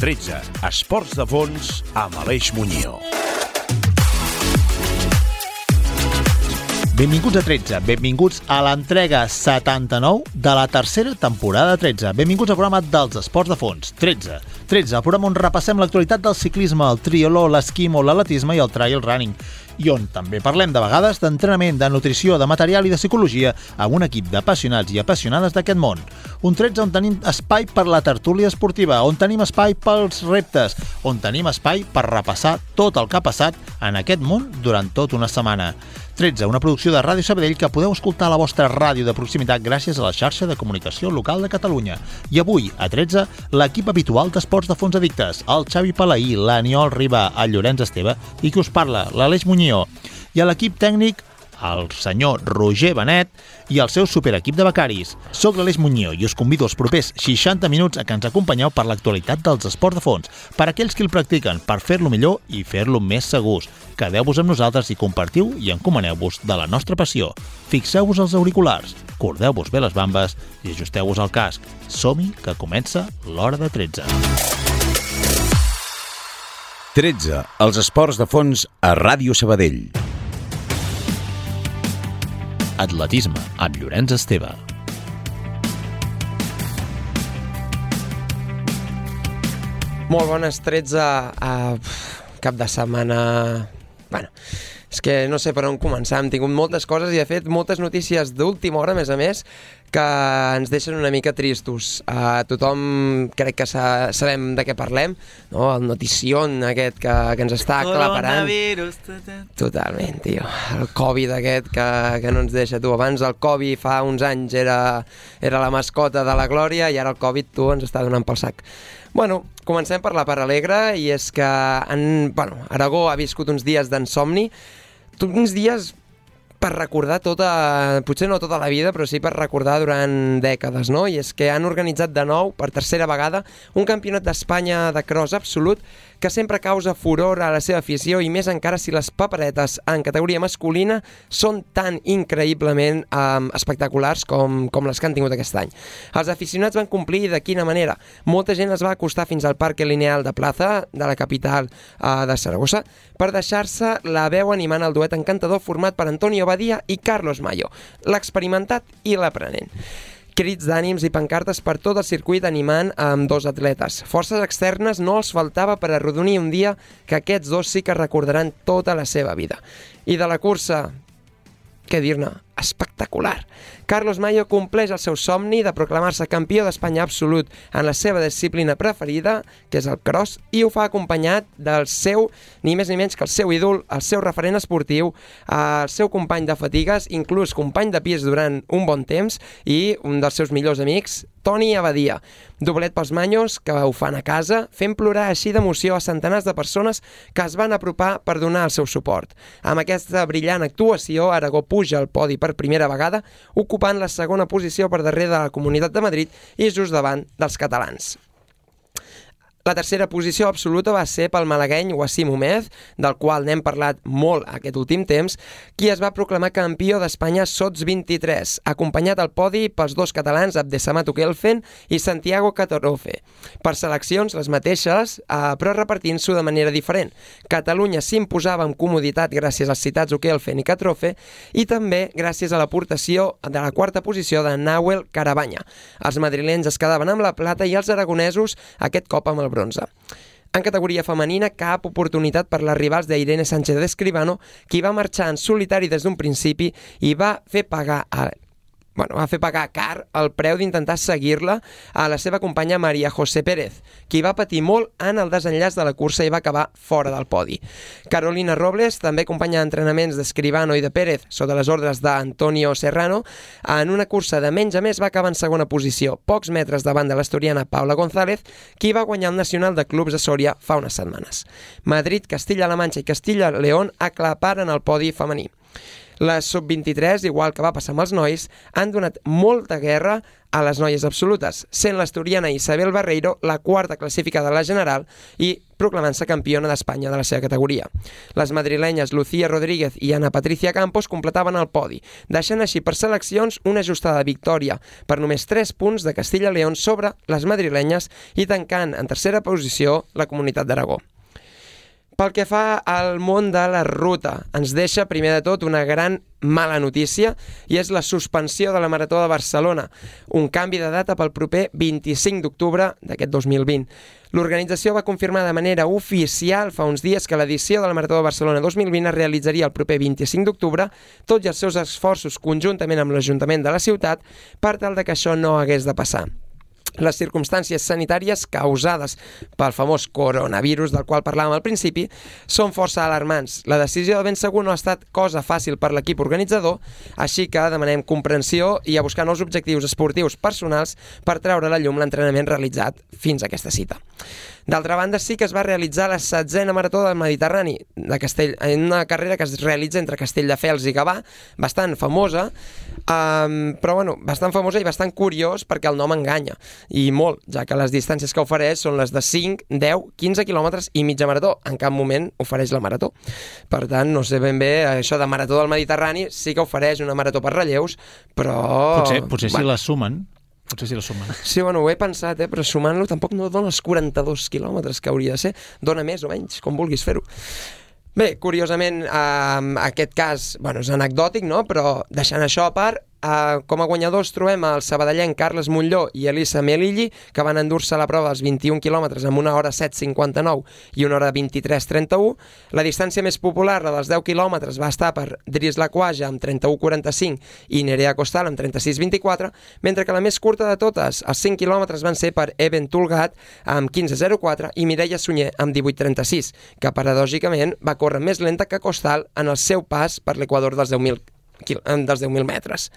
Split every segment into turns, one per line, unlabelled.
13, Esports de Fons amb Aleix Muñoz.
Benvinguts a 13, benvinguts a l'entrega 79 de la tercera temporada 13. Benvinguts al programa dels Esports de Fons, 13. 13, el programa on repassem l'actualitat del ciclisme, el triatló, l'esquimo, l'atletisme i el trail running, i on també parlem de vegades d'entrenament, de nutrició, de material i de psicologia amb un equip d'apassionats i apassionades d'aquest món. Un 13 on tenim espai per la tertúlia esportiva, on tenim espai pels reptes, on tenim espai per repassar tot el que ha passat en aquest món durant tota una setmana. 13, una producció de Ràdio Sabadell que podeu escoltar a la vostra ràdio de proximitat gràcies a la xarxa de comunicació local de Catalunya. I avui, a 13, l'equip habitual d'Esports de Fons Addictes, el Xavi Palaí, l'Aniol Riba, el Llorenç Esteve i qui us parla, l'Aleix Muñoz. I a l'equip tècnic, el senyor Roger Benet i el seu superequip de becaris. Soc l'Aleix Muñoz i us convido els propers 60 minuts a que ens acompanyeu per l'actualitat dels esports de fons, per aquells que el practiquen, per fer-lo millor i fer-lo més segurs. Quedeu-vos amb nosaltres i compartiu i encomaneu-vos de la nostra passió. Fixeu-vos els auriculars, cordeu-vos bé les bambes i ajusteu-vos el casc. Som-hi, que comença l'hora de 13.
13, els esports de fons a Ràdio Sabadell.
Atletisme, amb Llorenç Esteve.
Molt bones, 13 cap de setmana. Bueno, és que no sé per on començar. Hem tingut moltes coses i, de fet, moltes notícies d'última hora, a més, que ens deixen una mica tristos. Tothom crec que sabem de què parlem, no? El notición aquest que ens està aclaparant.
Coronavirus.
Totalment, tio. El Covid aquest que no ens deixa. Tu, abans el Covid fa uns anys era la mascota de la glòria i ara el Covid, tu, ens està donant pel sac. Bueno, comencem per la part alegre, i és que Aragó ha viscut uns dies d'insomni, uns dies per recordar potser no tota la vida, però sí per recordar durant dècades, no? I és que han organitzat de nou, per tercera vegada, un campionat d'Espanya de cross absolut que sempre causa furor a la seva afició, i més encara si les paperetes en categoria masculina són tan increïblement espectaculars com les que han tingut aquest any. Els aficionats van complir de quina manera? Molta gent es va acostar fins al Parque Lineal de Plaza, de la capital de Saragossa, per deixar-se la veu animant el duet encantador format per Antonio Badia i Carlos Mayo, l'experimentat i l'aprenent. Crits d'ànims i pancartes per tot el circuit animant amb dos atletes. Forces externes no els faltava per arrodonir un dia que aquests dos sí que recordaran tota la seva vida. I de la cursa, què dir-ne? Espectacular. Carlos Mayo compleix el seu somni de proclamar-se campió d'Espanya absolut en la seva disciplina preferida, que és el cross, i ho fa acompanyat del seu, ni més ni menys que el seu ídol, el seu referent esportiu, el seu company de fatigues, inclús company de pis durant un bon temps, i un dels seus millors amics, Toni Abadia. Doblet pels Manyos, que ho fan a casa, fent plorar així d'emoció a centenars de persones que es van apropar per donar el seu suport. Amb aquesta brillant actuació, Aragó puja al podi per primera vegada, ocupant la segona posició per darrere de la Comunitat de Madrid i just davant dels catalans. La tercera posició absoluta va ser pel malagueny Wassim Omez, del qual n'hem parlat molt aquest últim temps, qui es va proclamar campió d'Espanya Sots 23, acompanyat al podi pels dos catalans Abdesamat Okelfen i Santiago Catarofe. Per seleccions les mateixes, però repartint-s'ho de manera diferent. Catalunya s'imposava amb comoditat gràcies als citats Okelfen i Catarofe, i també gràcies a l'aportació de la quarta posició de Nahuel Carabanya. Els madrilenys es quedaven amb la plata i els aragonesos aquest cop amb el bronze. En categoria femenina, cap oportunitat per les rivals d'Irene Sánchez d'Escribano, qui va marxar en solitari des d'un principi i va fer pagar car el preu d'intentar seguir-la a la seva companya Maria José Pérez, qui va patir molt en el desenllaç de la cursa i va acabar fora del podi. Carolina Robles, també companya d'entrenaments d'Escribano i de Pérez, sota les ordres d'Antonio Serrano, en una cursa de menys a més va acabar en segona posició, pocs metres davant de l'asturiana Paula González, qui va guanyar el Nacional de Clubs de Sòria fa unes setmanes. Madrid, Castilla-La Manxa i Castilla-León aclaparen el podi femení. Les sub-23, igual que va passar amb els nois, han donat molta guerra a les noies absolutes, sent l'asturiana Isabel Barreiro la quarta classificada a la general i proclamant-se campiona d'Espanya de la seva categoria. Les madrilenyes Lucía Rodríguez i Ana Patricia Campos completaven el podi, deixant així per seleccions una ajustada victòria per només 3 punts de Castilla León sobre les madrilenyes i tancant en tercera posició la Comunitat d'Aragó. Pel que fa al món de la ruta, ens deixa primer de tot una gran mala notícia i és la suspensió de la Marató de Barcelona, un canvi de data pel proper 25 d'octubre d'aquest 2020. L'organització va confirmar de manera oficial fa uns dies que l'edició de la Marató de Barcelona 2020 es realitzaria el proper 25 d'octubre, tot i els seus esforços conjuntament amb l'Ajuntament de la ciutat per tal de que això no hagués de passar. Les circumstàncies sanitàries causades pel famós coronavirus del qual parlàvem al principi són força alarmants. La decisió de ben segur no ha estat cosa fàcil per l'equip organitzador, així que demanem comprensió i a buscar nous objectius esportius personals per treure a la llum l'entrenament realitzat fins a aquesta cita. D'altra banda, sí que es va realitzar la 16a Marató del Mediterrani en una carrera que es realitza entre Castelldefels i Gavà, bastant famosa, però bueno, bastant famosa i bastant curiós perquè el nom enganya, i molt, ja que les distàncies que ofereix són les de 5, 10, 15 quilòmetres i mitja marató. En cap moment ofereix la marató. Per tant, no sé ben bé, això de Marató del Mediterrani sí que ofereix una marató per relleus, però...
Potser si la sumen.
Sí, bueno, ho he pensat, però sumant-lo tampoc no dona els 42 quilòmetres que hauria de ser. Dona més o menys, com vulguis fer-ho. Bé, curiosament, aquest cas és anecdòtic, no? Però deixant això a part, com a guanyadors trobem el sabadellenc Carles Montlló i Elisa Melilli, que van endur-se la prova dels 21 quilòmetres amb 1 hora 7:59 i 1 hora 23:31. La distància més popular, la dels 10 quilòmetres, va estar per Dries Laquaja amb 31:45 i Nerea Costal amb 36:24, mentre que la més curta de totes, els 5 quilòmetres, van ser per Eben Tulgat amb 15:04 i Mireia Sunyer amb 18:36, que paradògicament va córrer més lenta que Costal en el seu pas per l'equador dels 10.000 metres.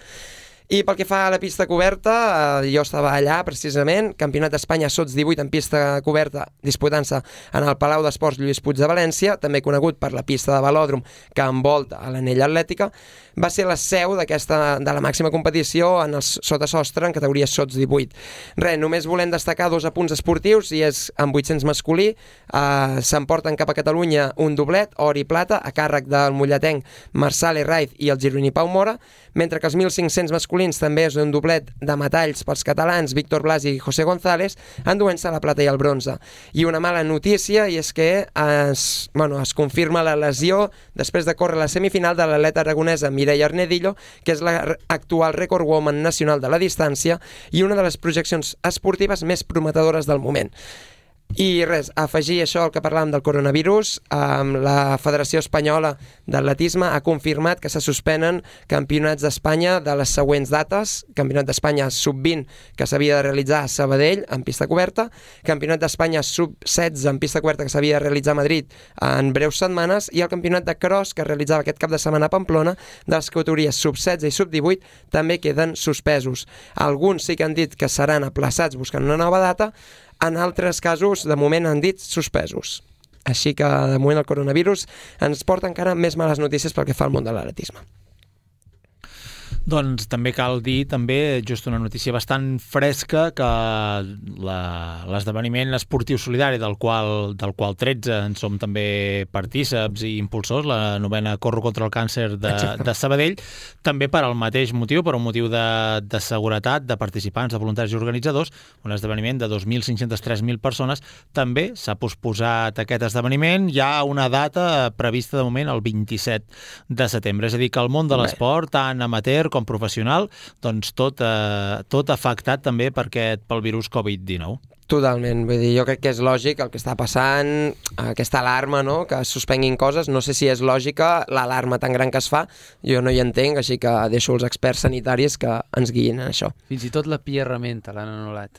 I pel que fa a la pista coberta, jo estava allà precisament, Campionat d'Espanya Sots 18 en pista coberta, disputant-se en el Palau d'Esports Lluís Puig de València, també conegut per la pista de velòdrom que envolta a l'anella atlètica. Va ser la seu de la màxima competició en el sotasostre en categoria Sots 18. Només volem destacar 2 apunts esportius, i és amb 800 masculí, s'emporten cap a Catalunya un doblet, or i plata, a càrrec del molletenc Marçal Herraiz i el gironí Pau Mora, mentre que els 1.500 masculins també és un doblet de metalls pels catalans Víctor Blas i José González, enduent-se la plata i el bronze. I una mala notícia, i és que es confirma la lesió després de córrer la semifinal de l'atleta aragonesa Mireia Arnedillo, que és l'actual record woman nacional de la distància i una de les projeccions esportives més prometedores del moment. I res, afegir això al que parlàvem del coronavirus, la Federació Espanyola d'Atletisme ha confirmat que se suspenen campionats d'Espanya de les següents dates: Campionat d'Espanya Sub-20 que s'havia de realitzar a Sabadell en pista coberta, Campionat d'Espanya Sub-16 en pista coberta que s'havia de realitzar a Madrid en breus setmanes, i el Campionat de Cross que es realitzava aquest cap de setmana a Pamplona de les categories Sub-16 i Sub-18 també queden suspesos. Alguns sí que han dit que seran aplaçats buscant una nova data, en altres casos, de moment, han dit suspesos. Així que, de moment, el coronavirus ens porta encara més males notícies pel que fa al món de l'atletisme.
Doncs també cal dir, just una notícia bastant fresca, que l'esdeveniment esportiu solidari del qual 13 en som també partíceps i impulsors, la 9a Corro contra el Càncer de Sabadell, també per al mateix motiu, per un motiu de seguretat de participants, de voluntaris i organitzadors, un esdeveniment de 2.503.000 persones, també s'ha posposat aquest esdeveniment. Hi ha una data prevista de moment el 27 de setembre, és a dir, que el món de l'esport, tant amateur com professional, doncs tot afectat també pel virus Covid-19.
Totalment, vull dir, jo crec que és lògic el que està passant, aquesta alarma, no?, que es suspenguin coses. No sé si és lògica l'alarma tan gran que es fa, jo no hi entenc, així que deixo els experts sanitaris que ens guiïn en això.
Fins i tot la Pia Rementa l'han anul·lat.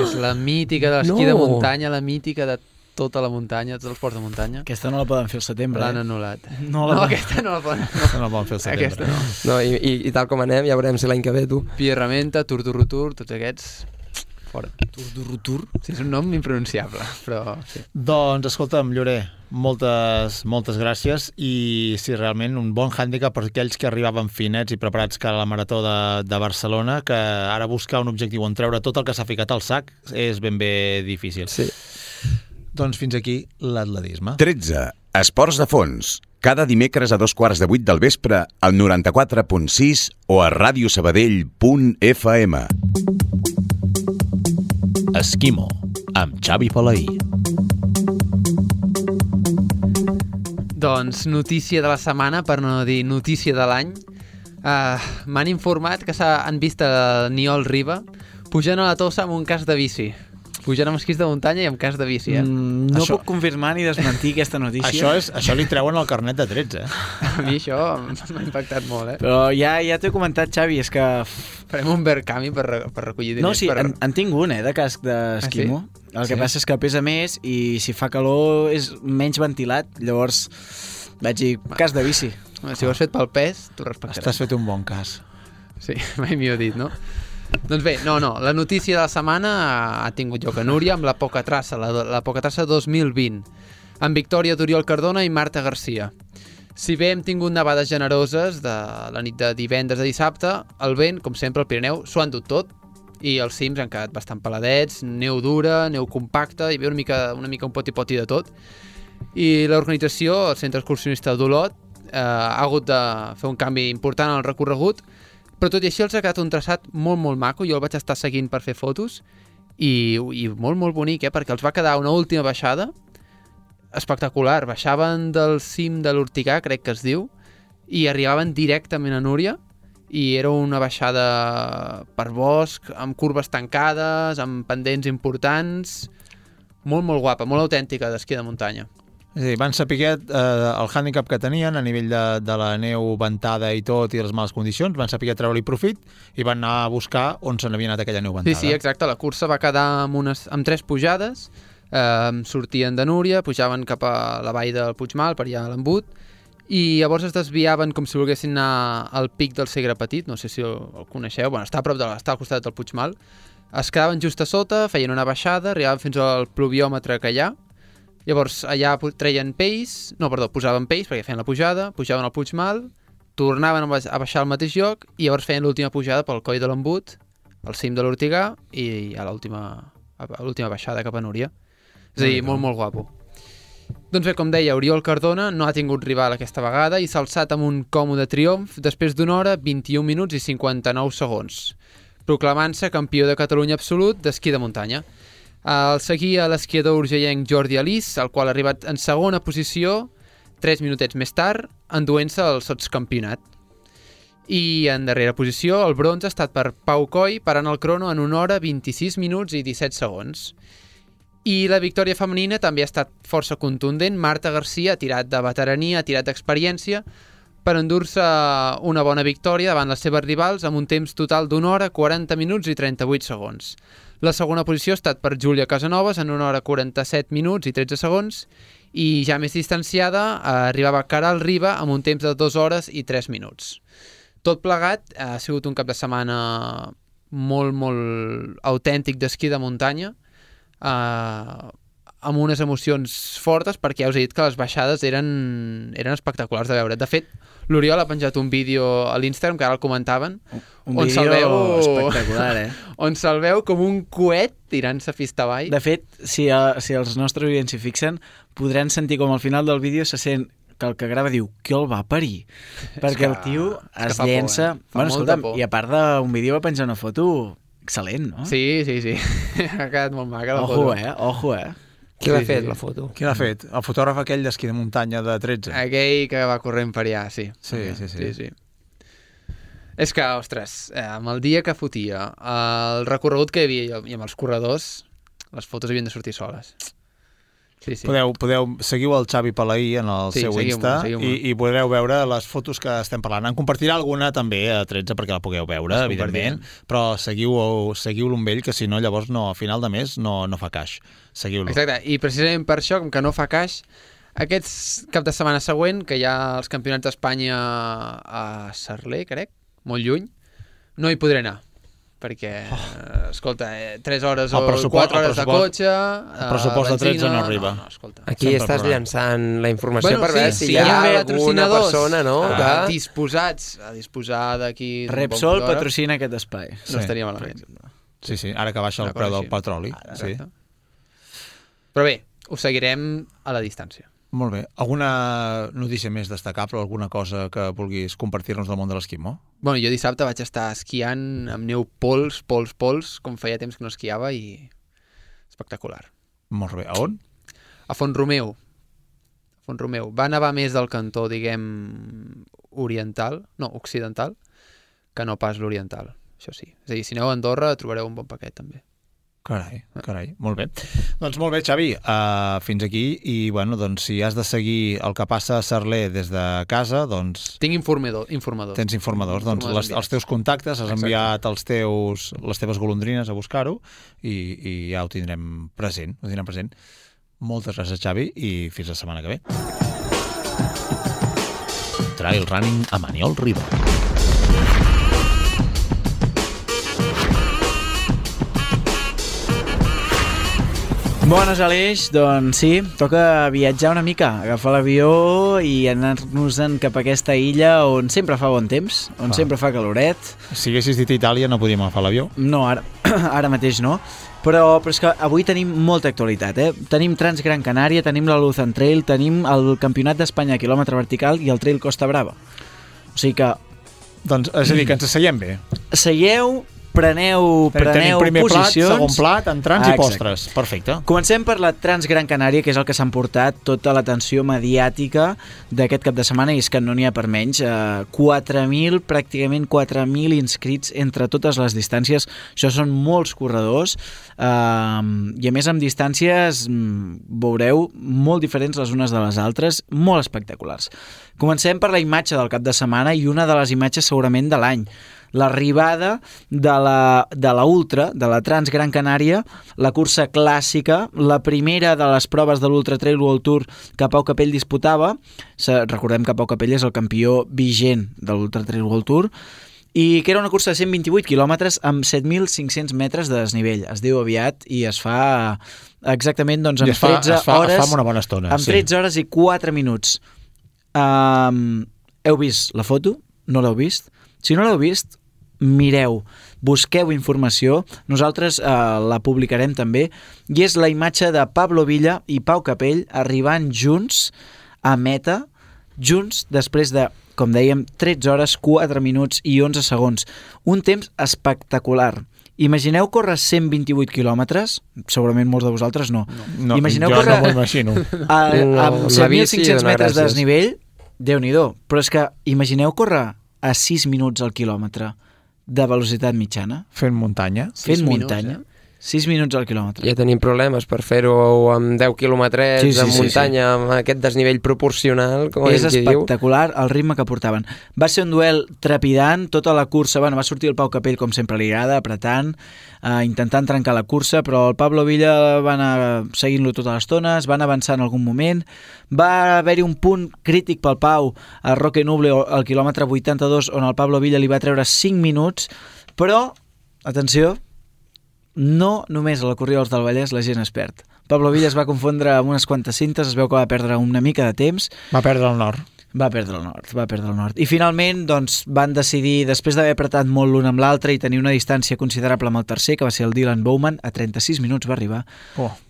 És la mítica de l'esquí de muntanya, la mítica de tota la muntanya, tots els esports de muntanya.
Aquesta no la poden fer al setembre.
L'han anul·lat.
Aquesta no la poden
fer al setembre.
Aquesta no.
I tal com anem, ja veurem si l'any que ve, tu.
Pia Rementa, Tour, tots aquests... fora.
Tour du Rotour.
Sí, és un nom impronunciable, però sí.
Doncs, escolta'm, Llorer, moltes gràcies, i sí, realment un bon hàndicap per aquells que arribaven finets i preparats cara a la marató de Barcelona, que ara buscar un objectiu on treure tot el que s'ha ficat al sac és ben bé difícil.
Sí.
Doncs fins aquí l'atletisme.
13. Esports de fons. Cada dimecres a 2:15 del vespre al 94.6 o a radiosabadell.fm.
Esquimo, amb Xavi Palaí.
Doncs notícia de la setmana, per no dir notícia de l'any. M'han informat que han vist a Niol Riba pujant a la Tossa amb un casc de bici. Pujant amb esquís de muntanya i amb casc de bici,
No puc confirmar ni desmentir aquesta notícia.
Això li treuen el carnet de 13.
A mi això m'ha impactat molt,
Però ja t'ho he comentat, Xavi, és que...
Farem un Verkami per recollir diners.
No, sí, en tinc un, de casc d'esquimo. El que passa és que pesa més i si fa calor és menys ventilat. Llavors vaig dir, casc de bici.
Si ho has fet pel pes, t'ho respectaràs.
T'has fet un bon cas.
Sí, mai millor dit, no? Doncs bé, la notícia de la setmana ha tingut lloc a Núria amb la Poca Traça, la Poca Traça 2020, amb victòria d'Oriol Cardona i Marta Garcia. Si bé hem tingut nevades generoses de la nit de divendres a dissabte, el vent, com sempre, al Pirineu, s'ho ha endut tot i els cims han quedat bastant peladets, neu dura, neu compacta, hi havia una mica un poti-poti de tot. I l'organització, el Centre Excursionista d'Olot, ha hagut de fer un canvi important en el recorregut, però tot i així els ha quedat un traçat molt maco. Jo el vaig estar seguint per fer fotos i molt bonic, perquè els va quedar una última baixada espectacular. Baixaven del cim de l'Ortigà, crec que es diu, i arribaven directament a Núria, i era una baixada per bosc, amb curves tancades, amb pendents importants, molt guapa, molt autèntica d'esquí de muntanya.
És a dir, van saber el hàndicap que tenien a nivell de la neu ventada i tot, i les males condicions, van saber treure-li profit i van anar a buscar on se n'havia anat aquella neu ventada.
Sí, exacte, la cursa va quedar amb 3 pujades, sortien de Núria, pujaven cap a la vall del Puigmal, per allà a l'Embut, i llavors es desviaven com si volguessin anar al pic del Segre Petit, no sé si el coneixeu, està a prop està al costat del Puigmal, es quedaven just a sota, feien una baixada, arribaven fins al pluviòmetre que hi ha. Llavors allà posaven peix perquè feien la pujada, pujaven al Puigmal, tornaven a baixar al mateix lloc i llavors feien l'última pujada pel coll de l'Embut, al cim de l'Ortigà i a l'última baixada cap a Núria. És a dir, molt guapo. Doncs bé, com deia, Oriol Cardona no ha tingut rival aquesta vegada i s'ha alçat amb un còmode triomf després d'una hora, 21 minuts i 59 segons, proclamant-se campió de Catalunya absolut d'esquí de muntanya. El seguia l'esquiador urgellenc Jordi Alís, el qual ha arribat en segona posició 3 minutets més tard, enduent-se el sotscampionat. I en darrera posició, el bronze ha estat per Pau Coll, parant el crono en 1 hora, 26 minuts i 17 segons. I la victòria femenina també ha estat força contundent. Marta Garcia ha tirat de veterania, ha tirat d'experiència per endur-se una bona victòria davant les seves rivals amb un temps total d'1 hora, 40 minuts i 38 segons. La segona posició ha estat per Júlia Casanovas en 1 hora, 47 minuts i 13 segons i ja més distanciada arribava Caral Riba amb un temps de 2 hores i 3 minuts. Tot plegat ha sigut un cap de setmana molt autèntic d'esquí de muntanya, amb unes emocions fortes, perquè ja us he dit que les baixades eren espectaculars de veure. De fet, l'Oriol ha penjat un vídeo a l'Instagram, que ara el comentaven,
un vídeo espectacular,
on se'l veu com un coet tirant-se fista avall.
De fet, si els nostres oients s'hi fixen, podran sentir com al final del vídeo se sent que el que grava diu que el va parir, perquè el tio es llença... Bueno, escolta'm, i a part d'un vídeo va penjar una foto excel·lent, no?
Sí. Ha quedat molt maca la foto.
Ojo.
Qui l'ha fet, la foto?
Qui l'ha fet? El fotògraf aquell d'esquí de muntanya de 13.
Aquell que va corrent per allà, sí.
Sí.
És que, ostres, amb el dia que fotia, el recorregut que hi havia i amb els corredors, les fotos havien de sortir soles. Sí.
Seguiu el Xavi Palaí en el seu Insta i podreu veure les fotos que estem parlant. En compartirà alguna també a 13 perquè la pugueu veure, evidentment, però seguiu-lo amb ell, que si no llavors a final de mes no fa caix. Seguiu-lo.
Exacte, i precisament per això, com que no fa caix, aquest cap de setmana següent, que hi ha els campionats d'Espanya a Sarler, crec, molt lluny, no hi podré anar. perquè, escolta, 3 hores o 4 hores de cotxe...
El pressupost de 13 no arriba.
No, escolta.
Aquí estàs llançant la informació per veure si hi ha alguna persona, no?
Disposats a disposar d'aquí...
Repsol patrocina aquest espai.
No estaria malament.
Sí, ara que baixa el preu del petroli. Sí.
Però bé, ho seguirem a la distància.
Molt bé. Alguna notícia més destacable, alguna cosa que vulguis compartir-nos del món de l'esquimó?
Bueno, jo dissabte vaig estar esquiant amb neu pols, com feia temps que no esquiava, i espectacular.
Molt bé. A on?
A Font-romeu. Va nevar més del cantó, diguem, occidental, que no pas l'oriental, això sí. És a dir, si aneu a Andorra trobareu un bon paquet, també.
Carai, molt bé. Doncs molt bé, Xavi, fins aquí, i bueno, doncs si has de seguir el que passa a Sarler des de casa, doncs...
Tinc informadors.
Tens informadors, doncs els teus contactes, has enviat les teves golondrines a buscar-ho, i ja ho tindrem present, Moltes gràcies, Xavi, i fins la setmana que ve.
Trail Running amb Aniol Riba.
Bones, Aleix. Doncs sí, toca viatjar una mica, agafar l'avió i anar-nos-en cap a aquesta illa on sempre fa bon temps, on sempre fa caloret.
Si haguessis dit Itàlia no podíem agafar l'avió?
No, ara mateix no. Però és que avui tenim molta actualitat, Tenim Transgran Canària, tenim la Luzon Trail, tenim el Campionat d'Espanya a quilòmetre vertical i el Trail Costa Brava. O sigui que...
Doncs, és a dir, que ens asseiem bé.
Seieu, preneu
primer
posicions.
Plat, segon plat, entrants i postres. Perfecte.
Comencem per la Transgran Canària, que és el que s'ha emportat tota l'atenció mediàtica d'aquest cap de setmana, i és que no n'hi ha per menys. 4.000, pràcticament 4.000 inscrits entre totes les distàncies. Això són molts corredors, i a més amb distàncies, veureu, molt diferents les unes de les altres, molt espectaculars. Comencem per la imatge del cap de setmana, i una de les imatges segurament de l'any. L'arribada de la Ultra, de la Transgran Canària, la cursa clàssica, la primera de les proves de l'Ultra Trail World Tour que Pau Capell disputava. Recordem que Pau Capell és el campió vigent de l'Ultra Trail World Tour, i que era una cursa de 128 quilòmetres amb 7.500 metres de desnivell. Es diu aviat i es fa exactament amb 13 hores.
Es fa una bona estona.
Amb 13 hores i 4 minuts. Heu vist la foto? No l'heu vist? Si no l'heu vist, mireu, busqueu informació, nosaltres la publicarem també, i és la imatge de Pablo Villa i Pau Capell arribant junts a meta, junts després de, com dèiem, 13 hores, 4 minuts i 11 segons. Un temps espectacular. Imagineu córrer 128 quilòmetres, segurament molts de vosaltres no. Imagineu
jo
córrer
no m'ho imagino.
Amb 7.500 metres de desnivell, Déu-n'hi-do, però és que imagineu córrer a 6 minuts al quilòmetre de velocitat mitjana.
Fent muntanya.
6 minuts al quilòmetre.
Ja tenim problemes per fer-ho amb 10 quilòmetres en muntanya, amb aquest desnivell proporcional, com
és espectacular el ritme que portaven. Va ser un duel trepidant, tota la cursa, va sortir el Pau Capell com sempre li agrada, apretant, intentant trencar la cursa, però el Pablo Villa va anar seguint-lo tota l'estona, es van avançar en algun moment, va haver-hi un punt crític pel Pau a Roque Nuble al quilòmetre 82, on el Pablo Villa li va treure 5 minuts, però, atenció, no només a la Corrida del Vallès la gent es perd. Pablo Villa es va confondre amb unes quantes cintes, es veu que va perdre una mica de temps.
Va perdre el nord.
Va perdre el nord. I finalment doncs, van decidir, després d'haver apretat molt l'un amb l'altre i tenir una distància considerable amb el tercer, que va ser el Dylan Bowman, a 36 minuts va arribar,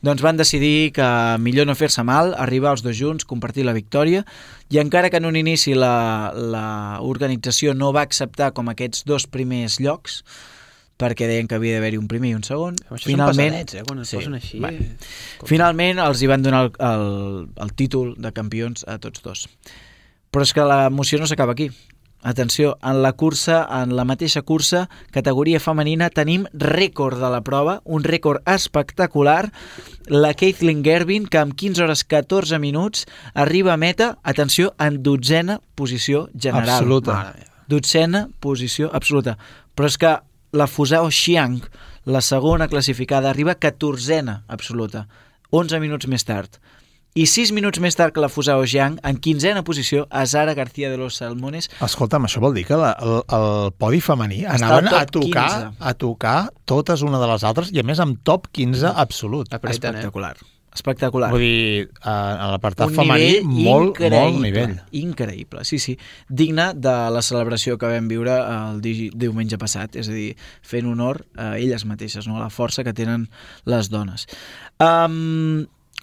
doncs van decidir que millor no fer-se mal, arribar els dos junts, compartir la victòria, i encara que en un inici l'organització no va acceptar com aquests dos primers llocs, perquè deien que havia d'haver-hi un primer i un segon.
Finalment, són pesadets, quan es posen així.
Finalment els hi van donar el títol de campions a tots dos. Però és que l'emoció no s'acaba aquí. Atenció, en la mateixa cursa, categoria femenina, tenim rècord de la prova, un rècord espectacular, la Kathleen Gervin, que amb 15 hores 14 minuts arriba a meta, atenció, en 12a posició general.
Absoluta.
12a posició absoluta. Però és que la Fusao Xiang, la segona classificada, arriba 14a absoluta, 11 minuts més tard. I 6 minuts més tard que la Fusao Jiang, en 15a posició, a Zara García de los Salmones.
Escolta'm, això vol dir que el podi femení anaven a tocar totes una de les altres i a més amb top 15 absolut.
Espectacular. Espectacular.
Vull dir, a l'apartat femení, molt nivell.
Increïble, sí. Digne de la celebració que vam viure el diumenge passat, és a dir, fent honor a elles mateixes, no? A la força que tenen les dones.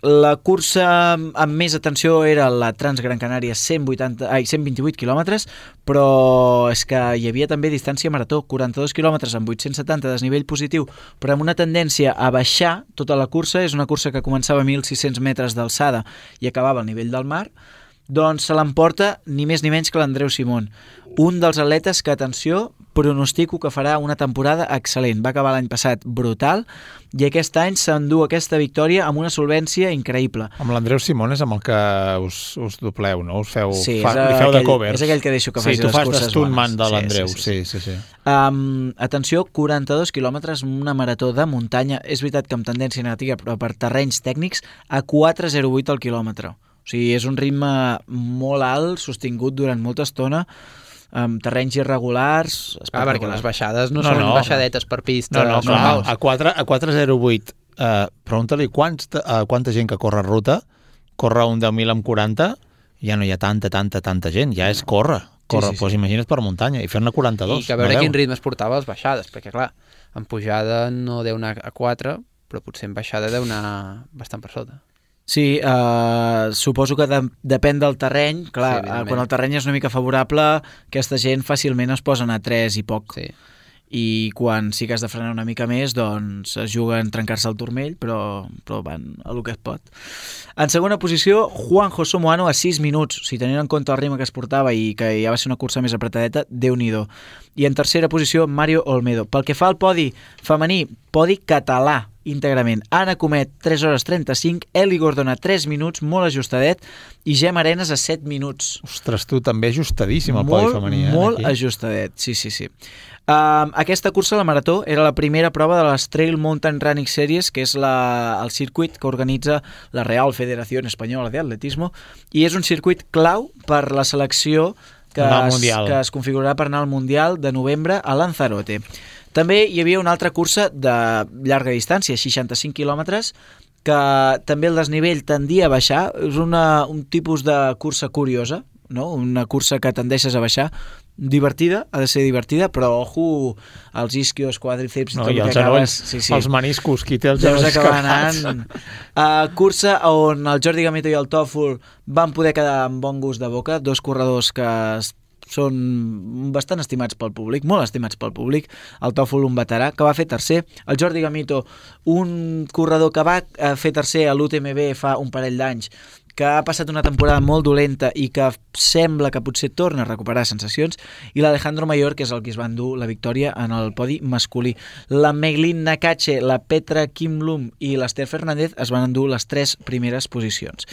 La cursa amb més atenció era la Transgran Canària, 128 quilòmetres, però és que hi havia també distància marató, 42 quilòmetres amb 870 de desnivell positiu, però amb una tendència a baixar tota la cursa. És una cursa que començava a 1.600 metres d'alçada i acabava al nivell del mar. Doncs se l'emporta ni més ni menys que l'Andreu Simón, un dels atletes que, atenció, pronostico que farà una temporada excel·lent. Va acabar l'any passat brutal i aquest any s'endú aquesta victòria amb una solvència increïble.
Amb l'Andreu Simón és amb el que us dobleu, no? Us feu,
sí,
li feu de covers.
És aquell que deixo que faci les curses bones.
Sí, tu fas d'estuntman de l'Andreu. Sí.
Atenció, 42 quilòmetres, una marató de muntanya. És veritat que amb tendència negativa, però per terrenys tècnics, a 4,08 al quilòmetre. O sigui, és un ritme molt alt, sostingut durant molta estona, amb terrenys irregulars.
Perquè les baixades no són baixadetes per pista.
No, a 4,08. Pregunta-li quanta gent que corre ruta, corre un 10.000 amb 40, ja no hi ha tanta gent, ja és córrer. Sí. Doncs imagina't per muntanya, i fer-ne 42.
I que a veure quin ritme es portava les baixades, perquè clar, en pujada no deu anar a 4, però potser en baixada deu anar bastant per sota.
Sí, suposo que depèn del terreny. Clar, quan el terreny és una mica favorable, aquesta gent fàcilment es posen a 3 i poc.
Sí.
I quan sí que has de frenar una mica més, doncs es juguen trencar-se el turmell, però van a lo que es pot. En segona posició, Juan José Moano a 6 minuts. Si tenint en compte el ritme que es portava i que ja va ser una cursa més apretadeta, Déu-n'hi-do. I en tercera posició, Mario Olmedo. Pel que fa al podi femení, podi català, íntegrament. Anna Comet, 3 hores 35, Eli Gordona, 3 minuts, molt ajustadet, i Gemma Arenas a 7 minuts.
Ostres, tu també ajustadíssim el podi femení.
Molt ajustadet, sí. Aquesta cursa, la marató, era la primera prova de les Trail Mountain Running Series, que és el circuit que organitza la Real Federación Española de Atletismo, i és un circuit clau per la selecció que es configurarà per anar al Mundial de novembre a Lanzarote. També hi havia una altra cursa de llarga distància, 65 quilòmetres, que també el desnivell tendia a baixar. És un tipus de cursa curiosa, no? Una cursa que tendeixes a baixar, divertida, ha de ser divertida, però ojo, els isquios, quadríceps i tot
i
el
els
que acabes...
genolls, els meniscos, qui té els
genolls
escapats.
Anant. Cursa on el Jordi Gamito i el Tòfol van poder quedar amb bon gust de boca, dos corredors que són bastant estimats pel públic, molt estimats pel públic. El Tòfol, un veterà, que va fer tercer. El Jordi Gamito, un corredor que va fer tercer a l'UTMB fa un parell d'anys, que ha passat una temporada molt dolenta i que sembla que potser torna a recuperar sensacions, i l'Alejandro Mayor, que és el que es va endur la victòria en el podi masculí. La Meglin Nakache, la Petra Kimlum i l'Esther Fernández es van endur les 3 primeres posicions.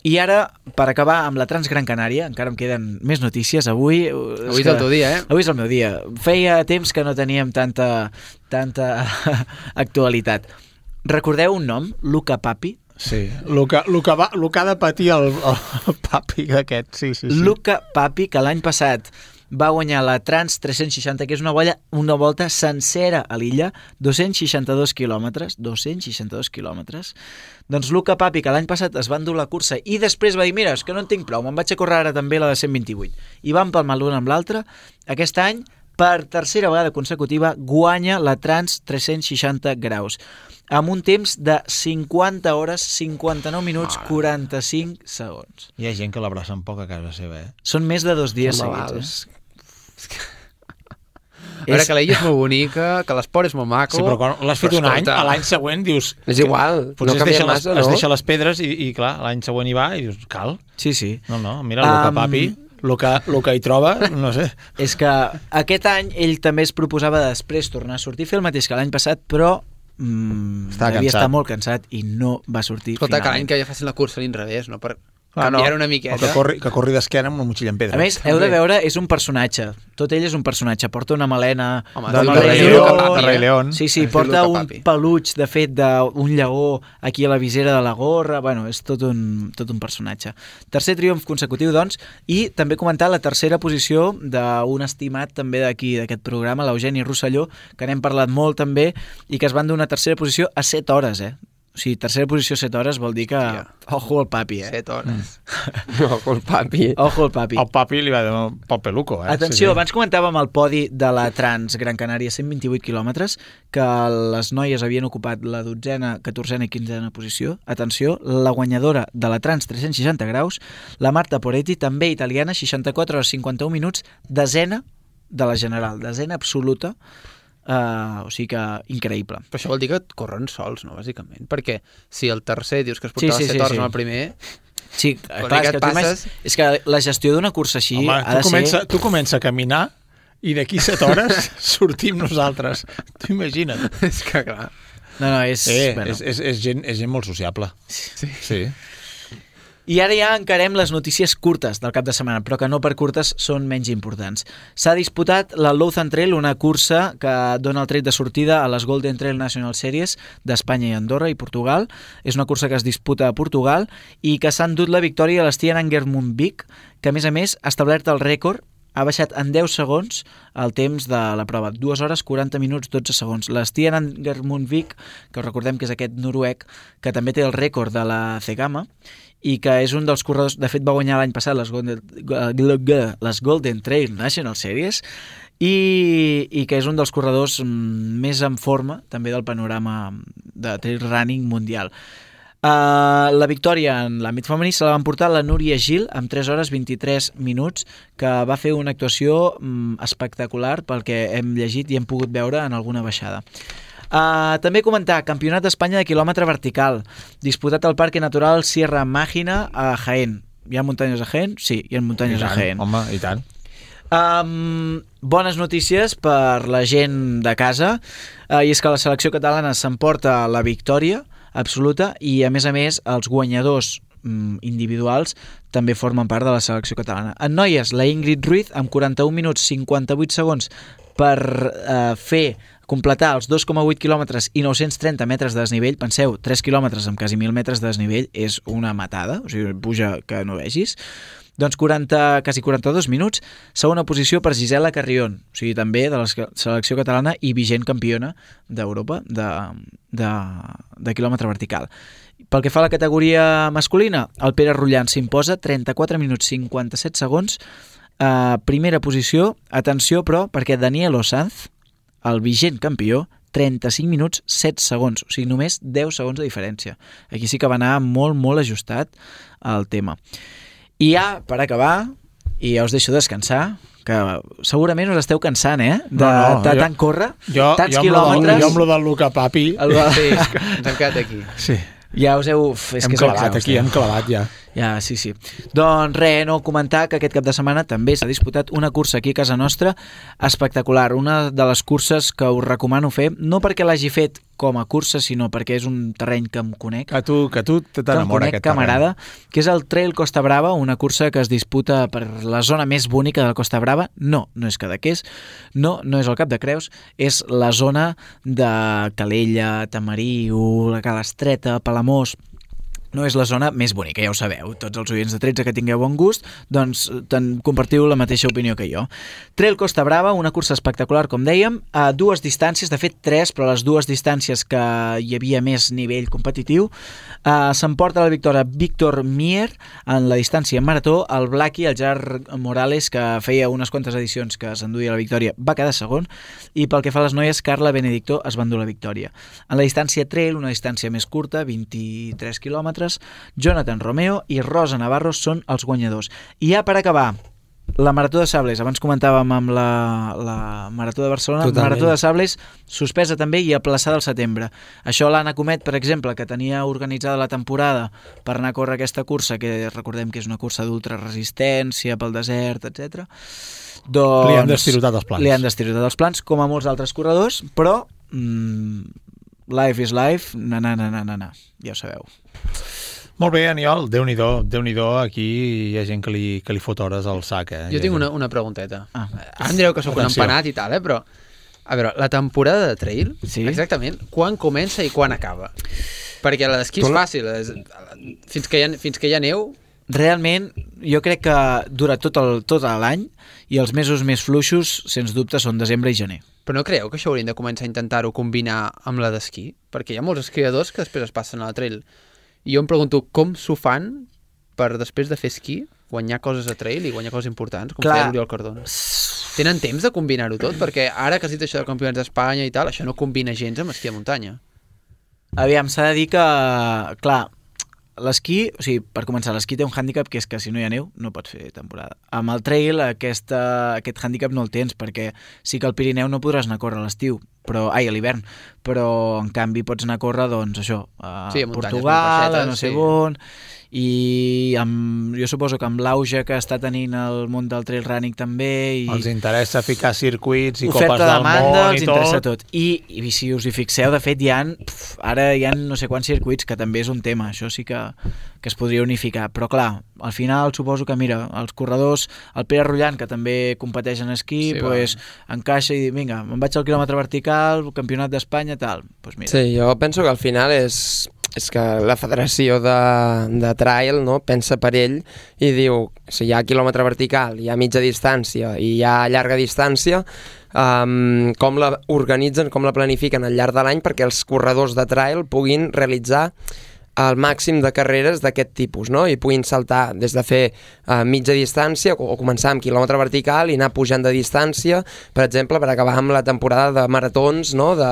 I ara, per acabar amb la Transgran Canària, encara em queden més notícies. Avui
és el teu dia, eh?
Avui és el meu dia. Feia temps que no teníem tanta actualitat. Recordeu un nom? Luca Papi?
Sí, el que ha de patir el Papi d'aquest, sí.
Luca Papi, que l'any passat va guanyar la Trans 360, que és una volta sencera a l'illa, 262 quilòmetres. Doncs Luca Papi, que l'any passat es va endur la cursa i després va dir, mira, és que no en tinc prou, me'n vaig a córrer ara també la de 128. I van palmar l'una amb l'altra. Aquest any, per tercera vegada consecutiva, guanya la Trans 360 graus, amb un temps de 50 hores, 59 minuts, 45 segons.
Hi ha gent que l'abraça un poc a casa seva, eh?
Són més de 2 dies seguits,
A veure, que l'illa és molt bonica, que l'esport és molt maco...
Sí, però quan l'has fet un any, a l'any següent dius...
És igual,
no canvia massa, no? Es deixa les pedres i clar, l'any següent hi va i dius, cal?
Sí.
No, mira, Luca Papi... El que hi troba, no sé.
És que aquest any ell també es proposava després tornar a sortir, fer el mateix que l'any passat, però devia estar molt cansat i no va sortir.
Escolta, que l'any que ja facin la cursa a l'inrevés, no? canviar una miqueta.
Que corri d'esquena amb una motxilla en pedra.
A més, heu de veure, és un personatge. Tot ell és un personatge. Porta una melena
del Rei León.
Sí, porta un peluig, de fet, d'un lleó aquí a la visera de la gorra. Bueno, és tot un personatge. Tercer triomf consecutiu, doncs, i també comentar la tercera posició d'un estimat també d'aquí, d'aquest programa, l'Eugeni Rosselló, que n'hem parlat molt també, i que es van donar tercera posició a 7 hores, O sigui, tercera posició a 7 hores vol dir que... Ojo al papi,
7 hores. Ojo al papi.
Ojo al papi.
El papi li va donar pel peluco,
Atenció, abans comentàvem el podi de la Trans Gran Canària, 128 quilòmetres, que les noies havien ocupat la 12ª, 14ª i 15ª posició. Atenció, la guanyadora de la Trans 360 graus, la Marta Poretti, també italiana, 64 hores 51 minuts, desena de la general, desena absoluta. O sigui que increïble.
Però això vol dir que corren sols, no, bàsicament? Perquè si el tercer dius que es portava 7 hores amb el primer...
Sí, clar, és que la gestió d'una cursa així ha de ser...
Tu comença a caminar i d'aquí 7 hores sortim nosaltres. Tu imagina't.
És que clar...
No, és
gent molt sociable. Sí.
I ara ja encarem les notícies curtes del cap de setmana, però que no per curtes són menys importants. S'ha disputat la Lausanne Trail, una cursa que dona el tret de sortida a les Golden Trail National Series d'Espanya i Andorra i Portugal. És una cursa que es disputa a Portugal i que s'ha endut la victòria a l'Stian Angermund-Vik, que a més ha establert el rècord, ha baixat en 10 segons el temps de la prova, 2 hores 40 minuts 12 segons. L'Stian Angermund-Vik, que recordem que és aquest noruec, que també té el rècord de la Cegama, i que és un dels corredors, de fet va guanyar l'any passat les Golden Trail National Series, i que és un dels corredors més en forma també del panorama de trail running mundial. La victòria en l'àmbit femení se la van portar la Núria Gil amb 3 hores 23 minuts, que va fer una actuació espectacular pel que hem llegit i hem pogut veure en alguna baixada. També comentar, Campionat d'Espanya de quilòmetre vertical, disputat al Parque Natural Sierra Mágina a Jaén. Hi ha muntanyes a Jaén? Sí, hi ha muntanyes a Jaén.
Home, i tant.
Bones notícies per la gent de casa, i és que la selecció catalana s'emporta la victòria absoluta i a més els guanyadors individuals també formen part de la selecció catalana. En noies, la Ingrid Ruiz amb 41 minuts 58 segons per completar els 2,8 quilòmetres i 930 metres de desnivell. Penseu, 3 quilòmetres amb quasi 1.000 metres de desnivell és una matada, o sigui, puja que no vegis. Doncs quasi 42 minuts. Segona posició per Gisela Carrión, o sigui, també de la selecció catalana i vigent campiona d'Europa de quilòmetre vertical. Pel que fa a la categoria masculina, el Pere Rullant s'imposa 34 minuts 57 segons. Primera posició, atenció però, perquè Daniel Osanz, el vigent campió, 35 minuts 7 segons, o sigui, només 10 segons de diferència. Aquí sí que va anar molt, molt ajustat el tema. I ja, per acabar, i ja us deixo descansar, que segurament us esteu cansant, de tant córrer, tants quilòmetres...
Jo amb lo del Luca Papi...
Sí, ens hem quedat aquí.
Sí.
Ja us heu...
Hem clavat ja.
Ja, sí. Doncs res, no, comentar que aquest cap de setmana també s'ha disputat una cursa aquí a casa nostra espectacular, una de les curses que us recomano fer, no perquè l'hagi fet com a cursa, sinó perquè és un terreny que em conec.
Que tu t'enamora aquest
camarada, que és el Trail Costa Brava, una cursa que es disputa per la zona més bonica de Costa Brava. No és Cadaqués, no és el Cap de Creus, és la zona de Calella, Tamariu, la Calestreta, Palamós. No és la zona més bonica, ja ho sabeu. Tots els oients de 13 que tingueu bon gust, doncs compartiu la mateixa opinió que jo. Trail Costa Brava, una cursa espectacular, com dèiem, a 2 distàncies, de fet 3, però les 2 distàncies que hi havia més nivell competitiu. S'emporta la victòria Víctor Mier en la distància marató, el Blackie, el Gerard Morales, que feia unes quantes edicions que s'enduia la victòria, va quedar segon, i pel que fa a les noies, Carla Benedicto es va endur la victòria. En la distància trail, una distància més curta, 23 quilòmetres, Jonathan Romeo i Rosa Navarro són els guanyadors. I ja per acabar, la Marató de Sables, abans comentàvem amb la Marató de Barcelona. Totalment. Marató de Sables suspesa també i aplaçada al setembre. Això l'Anna Comet, per exemple, que tenia organitzada la temporada per anar a córrer aquesta cursa, que recordem que és una cursa d'ultraresistència pel desert, etc. Doncs
li han destirotat els plans.
Li han destirotat els plans, com a molts altres corredors, però life is life, ja ho sabeu.
Molt bé, Aniol, Déu-n'hi-do, aquí hi ha gent que li fot hores al sac.
Jo tinc una pregunteta. Ara em direu que sóc un empanat i tal, però a veure, la temporada de trail, exactament, quan comença i quan acaba? Perquè l'esquí és fàcil, fins que hi ha neu...
Realment, jo crec que dura tot l'any i els mesos més fluixos, sens dubte, són desembre i gener.
Però no creieu que això haurien de començar a intentar-ho combinar amb la d'esquí? Perquè hi ha molts esquiadors que després es passen a la trail. I jo em pregunto com s'ho fan per, després de fer esquí, guanyar coses a trail i guanyar coses importants, com feia l'Oriol Cardona. Tenen temps de combinar-ho tot? Perquè ara que has dit això de campionats d'Espanya i tal, això no combina gens amb esquí a muntanya.
Aviam, s'ha de dir que, clar, l'esquí, o sigui, per començar, l'esquí té un hàndicap que és que si no hi ha neu no pots fer temporada. Amb el trail aquest hàndicap no el tens, perquè sí que al Pirineu no podràs anar a córrer a l'estiu, a l'hivern, però en canvi pots anar a córrer, doncs això, a Portugal, a no sé on, i jo suposo que amb l'auge que està tenint el món del trail running també...
Els interessa ficar circuits i copes del món
els interessa tot. I si us hi fixeu, de fet, ara hi ha no sé quants circuits, que també és un tema, això sí que es podria unificar, però clar, al final suposo que, mira, els corredors, el Pere Rullant, que també competeix en esquí, encaixa i diu, vinga, me'n vaig al quilòmetre vertical, campionat d'Espanya, tal. Mira.
Sí, jo penso que al final és que la federació de trail, no, pensa per ell i diu, si hi ha quilòmetre vertical, hi ha mitja distància i hi ha llarga distància, com la organitzen, com la planifiquen al llarg de l'any perquè els corredors de trail puguin realitzar el màxim de carreres d'aquest tipus, no? I puguin saltar des de fer mitja distància o començar amb quilòmetre vertical i anar pujant de distància, per exemple, per acabar amb la temporada de maratons, no? de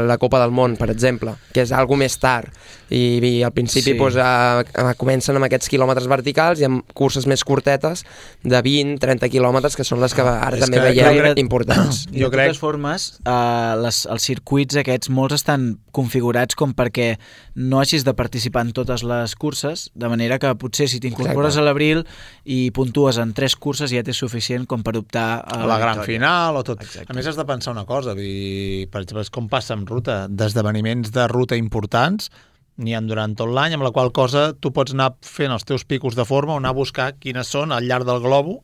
la Copa del Món, per exemple, que és algo més tard. I al principi comencen amb aquests quilòmetres verticals i amb curses més curtetes de 20-30 quilòmetres, que són les que ara també veiem importants.
De totes formes, els circuits aquests, molts estan configurats com perquè no hagis de participar en totes les curses, de manera que potser si t'incorpores a l'abril i puntues en 3 curses ja t'és suficient com per optar a
la gran final o tot.
Exacte.
A més, has de pensar una cosa, per exemple, com passa amb ruta, d'esdeveniments de ruta importants n'hi ha durant tot l'any, amb la qual cosa tu pots anar fent els teus picos de forma o anar a buscar quines són al llarg del globo.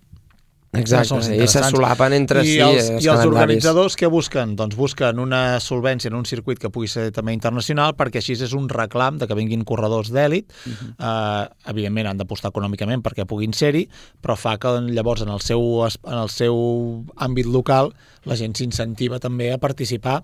Exacte, i se solapen entre si
i els organitzadors què busquen? Doncs busquen una solvència en un circuit que pugui ser també internacional, perquè així és un reclam de que vinguin corredors d'èlit. Evidentment han d'apostar econòmicament perquè puguin ser-hi, però fa que llavors en el seu àmbit local la gent s'incentiva també a participar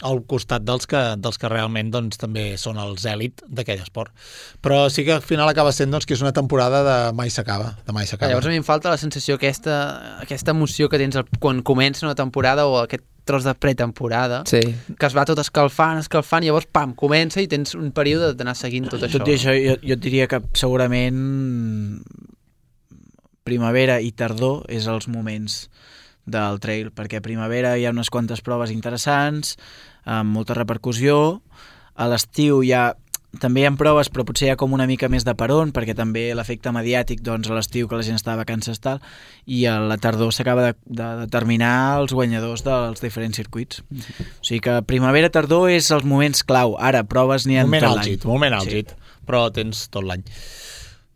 al costat dels que realment doncs, també són els èlit d'aquell esport. Però sí que al final acaba sent que és una temporada de mai s'acaba.
Llavors a mi em falta la sensació, aquesta emoció que tens quan comença una temporada o aquest tros de pretemporada, que es va tot escalfant, i llavors, pam, comença i tens un període d'anar seguint tot això.
Tot i això, jo et diria que segurament primavera i tardor és els moments del trail, perquè a primavera hi ha unes quantes proves interessants, amb molta repercussió. A l'estiu també hi ha proves, però potser hi ha com una mica més de peron, perquè també l'efecte mediàtic, doncs a l'estiu que la gent està de vacances tal, i a la tardor s'acaba de determinar els guanyadors dels diferents circuits. O sigui que primavera, tardor és els moments clau. Ara, proves n'hi ha tot l'any.
Moment àlgid, però tens tot l'any.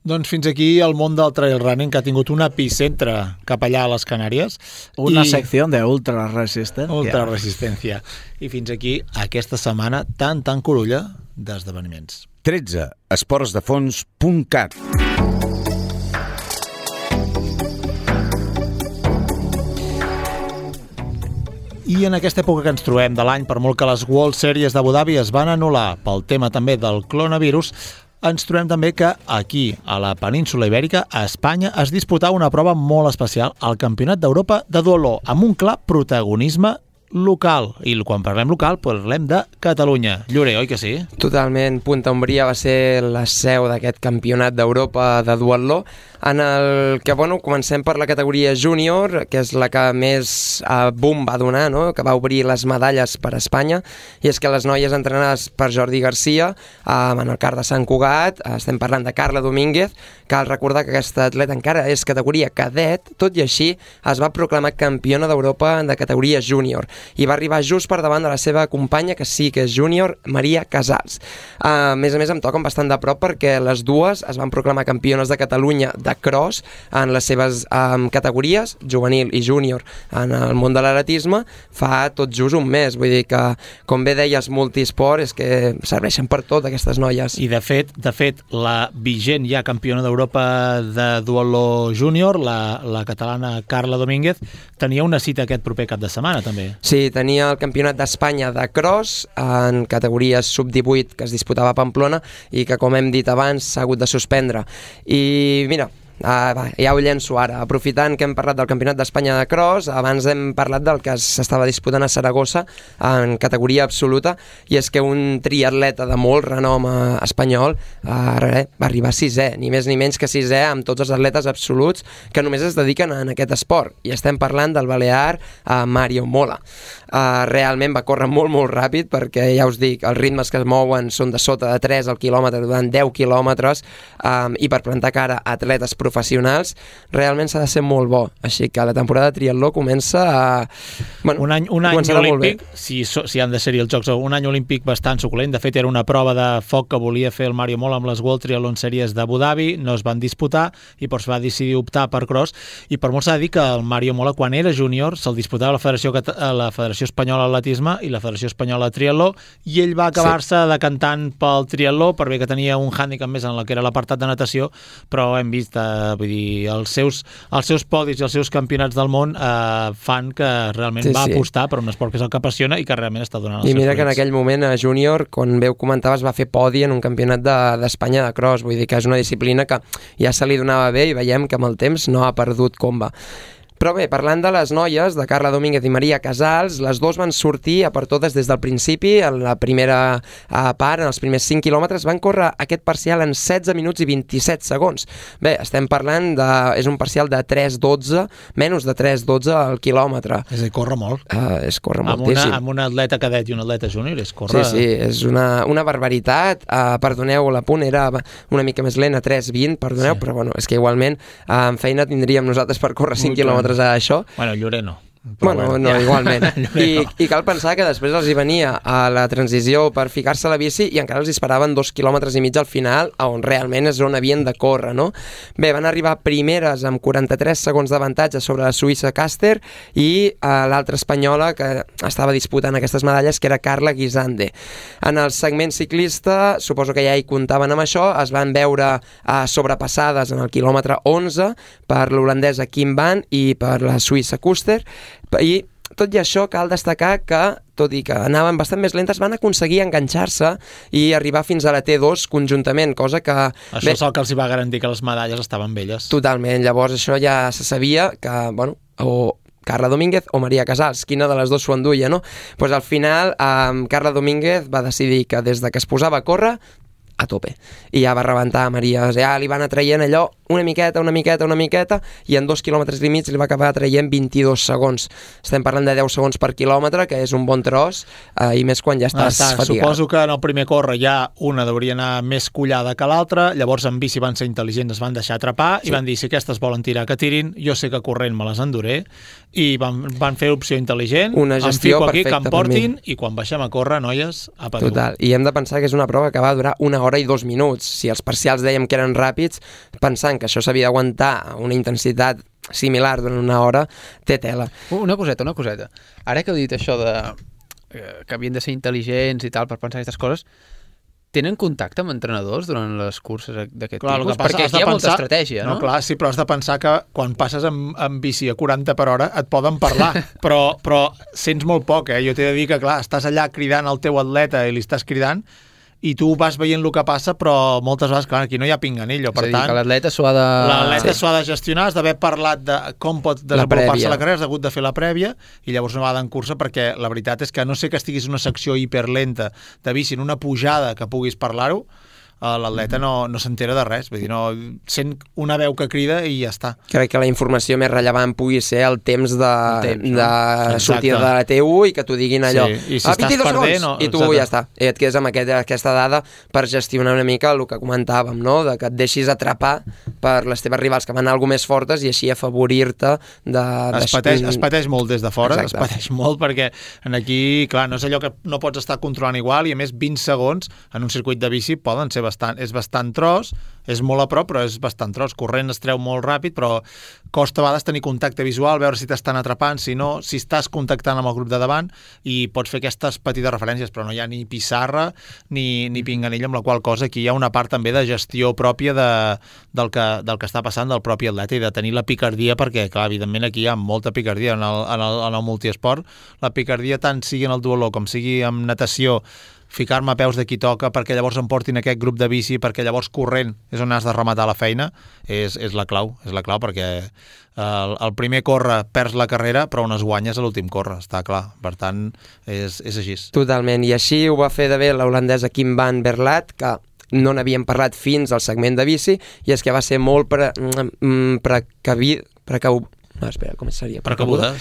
Doncs fins aquí el món del trail running, que ha tingut un epicentre cap allà a les Canàries.
Una secció d'ultra resistència.
Ultra resistència. I fins aquí aquesta setmana tan curulla d'esdeveniments.
13. esportsdefons.cat.
I en aquesta època que ens trobem de l'any, per molt que les World Series d'Abu Dhabi es van anul·lar pel tema també del coronavirus, ens trobem també que aquí, a la península Ibèrica, a Espanya, es disputava una prova molt especial, el Campionat d'Europa de duatló, amb un clar protagonisme local. I quan parlem local, parlem de Catalunya. Llorer, oi que sí?
Totalment. Punta Umbria va ser la seu d'aquest Campionat d'Europa de duatló, en el que, bueno, comencem per la categoria júnior, que és la que més boom va donar, no? Que va obrir les medalles per a Espanya, i és que les noies entrenades per Jordi Garcia en el CAR de Sant Cugat, estem parlant de Carla Domínguez. Cal recordar que aquesta atleta encara és categoria cadet, tot i així es va proclamar campiona d'Europa de categoria júnior i va arribar just per davant de la seva companya, que sí que és júnior, Maria Casals. A més, em toquen bastant de prop perquè les dues es van proclamar campiones de Catalunya de cross en les seves categories, juvenil i júnior, en el món de l'atletisme, fa tot just un mes. Vull dir que, com bé deies, multisport és que serveixen per tot aquestes noies.
I de fet, la vigent ja campiona d'Europa de duatló júnior, la catalana Carla Domínguez, tenia una cita aquest proper cap de setmana, també.
Sí, tenia el Campionat d'Espanya de cross en categories sub-18 que es disputava a Pamplona i que, com hem dit abans, s'ha hagut de suspendre. I mira, ja ho llenço ara. Aprofitant que hem parlat del Campionat d'Espanya de cross, abans hem parlat del que s'estava disputant a Saragossa en categoria absoluta, i és que un triatleta de molt renom espanyol va arribar a sisè, ni més ni menys que sisè, amb tots els atletes absoluts que només es dediquen a aquest esport, i estem parlant del balear Mario Mola. Realment va córrer molt ràpid, perquè ja us dic, els ritmes que es mouen són de sota de 3 al quilòmetre durant 10 quilòmetres, i per plantar cara a atletes professionals realment s'ha de ser molt bo, així que la temporada de triatló comença a...
Bueno, un any olímpic, si han de ser els Jocs, un any olímpic bastant suculent. De fet, era una prova de foc que volia fer el Mario Mola amb les World Triathlon Series d'Abu Dhabi, no es van disputar i es va decidir optar per cross, i per molt s'ha de dir que el Mario Mola, quan era júnior, se'l disputava la Federació Espanyola d'Atletisme i la Federació Espanyola de Triatló, i ell va acabar-se decantant pel triatló, per bé que tenia un hàndicap més en la que era l'apartat de natació, però hem vist vull dir, els seus podis i els seus campionats del món fan que realment va apostar per un esport que és el que apassiona i que realment està donant els seus fruits.
I mira que en aquell moment a júnior, com bé ho comentaves, va fer podi en un campionat d'Espanya de cross. Vull dir que és una disciplina que ja se li donava bé i veiem que amb el temps no ha perdut comba. Però bé, parlant de les noies, de Carla Domínguez i Maria Casals, les dues van sortir a per totes des del principi. En la primera part, en els primers 5 quilòmetres, van córrer aquest parcial en 16 minuts i 27 segons. Bé, estem parlant és un parcial de 3:12, menys de 3:12 al quilòmetre.
És a dir, corre molt.
És córrer moltíssim.
Amb un atleta cadet i un atleta júnior, és córrer...
Sí, és una barbaritat. Perdoneu, l'apunt era una mica més lent, a 3:20, perdoneu, però bueno, és que igualment en feina tindríem nosaltres per córrer 5 quilòmetres a això.
Bueno, Llorer no.
Bueno, no, igualment. I cal pensar que després els hi venia a la transició per ficar-se a la bici i encara els esperaven 2,5 quilòmetres al final, on realment és on havien de córrer, no? Bé, van arribar primeres amb 43 segons d'avantatge sobre la suïssa Caster i l'altra espanyola que estava disputant aquestes medalles, que era Carla Guisande. En el segment ciclista, suposo que ja hi comptaven amb això, es van veure sobrepassades en el quilòmetre 11 per l'holandesa Kim Van i per la suïssa Kuster. I tot i això cal destacar que, tot i que anaven bastant més lentes, van aconseguir enganxar-se i arribar fins a la T2 conjuntament, cosa que...
Això és el que els va garantir que les medalles estaven belles.
Totalment, llavors això ja se sabia que, bueno, o Carla Domínguez o Maria Casals, quina de les dues s'ho enduia, no? Doncs al final Carla Domínguez va decidir que des de que es posava a córrer, a tope, i ja va rebentar a Maria, ja li van atraient allò una miqueta, i en 2,5 quilòmetres li va acabar traient 22 segons. Estem parlant de 10 segons per quilòmetre, que és un bon tros, i més quan ja estàs fatigat.
Suposo que en el primer córrer ja una hauria anar més collada que l'altra, llavors en bici van ser intel·ligents, es van deixar atrapar i van dir, si aquestes volen tirar, que tirin, jo sé que corrent me les enduré, i van fer opció intel·ligent,
una gestió
em fico aquí, que em portin,
i
quan baixem a córrer, noies, a patur.
Total, i hem de pensar que és una prova que va durar 1 hora i 2 minuts. Si els parcials dèiem que eren ràpids, pensant que això s'havia d'aguantar a una intensitat similar durant 1 hora, té tela.
Una coseta. Ara que heu dit això de que havien de ser intel·ligents i tal per pensar aquestes coses, tenen contacte amb entrenadors durant les curses d'aquest tipus? Perquè aquí hi ha molta estratègia, no?
Clar, sí, però has de pensar que quan passes amb bici a 40 per hora et poden parlar, però sents molt poc, Jo t'he de dir que, clar, estàs allà cridant al teu atleta i li estàs cridant, i tu vas veient el que passa, però moltes vegades, clar, aquí no hi ha pinganillo, per tant...
És a dir, que l'atleta s'ho ha de...
L'atleta s'ho ha de gestionar, has d'haver parlat de com pot desenvolupar-se la carrera, has hagut de fer la prèvia, i llavors una vegada en cursa, perquè la veritat és que no sé que estiguis en una secció hiperlenta de bici, en una pujada que puguis parlar-ho, l'atleta no s'entera de res, vull dir, no sent una veu que crida i ja està.
Crec que la informació més rellevant pugui ser el temps de sortida de la T1 i que t'ho diguin allò.
Sí. I si estàs perdent...
I tu ja està. I et quedes amb aquesta dada per gestionar una mica el que comentàvem, no? De que et deixis atrapar per les teves rivals que van anar alguna més fortes i així afavorir-te de...
Es pateix molt des de fora, es pateix molt perquè aquí, clar, no és allò que no pots estar controlant igual i a més 20 segons en un circuit de bici poden ser és bastant tros, és molt a prop, però és bastant tros. Corrent es treu molt ràpid, però costa a vegades tenir contacte visual, veure si t'estan atrapant, si no, si estàs contactant amb el grup de davant i pots fer aquestes petites referències, però no hi ha ni pissarra ni pinganilla, amb la qual cosa aquí hi ha una part també de gestió pròpia del que està passant del propi atleta i de tenir la picardia, perquè, clar, evidentment aquí hi ha molta picardia en el multiesport. La picardia tant sigui en el duatló com sigui en natació, ficar-me a peus de qui toca perquè llavors em portin aquest grup de bici, perquè llavors corrent és on has de rematar la feina, és la clau perquè el primer corre perds la carrera, però on es guanyes a l'últim corre, està clar, per tant és així.
Totalment, i així ho va fer de bé l'holandesa Kim van Berlat, que no n'havíem parlat fins al segment de bici, i és que va ser molt
precabuda,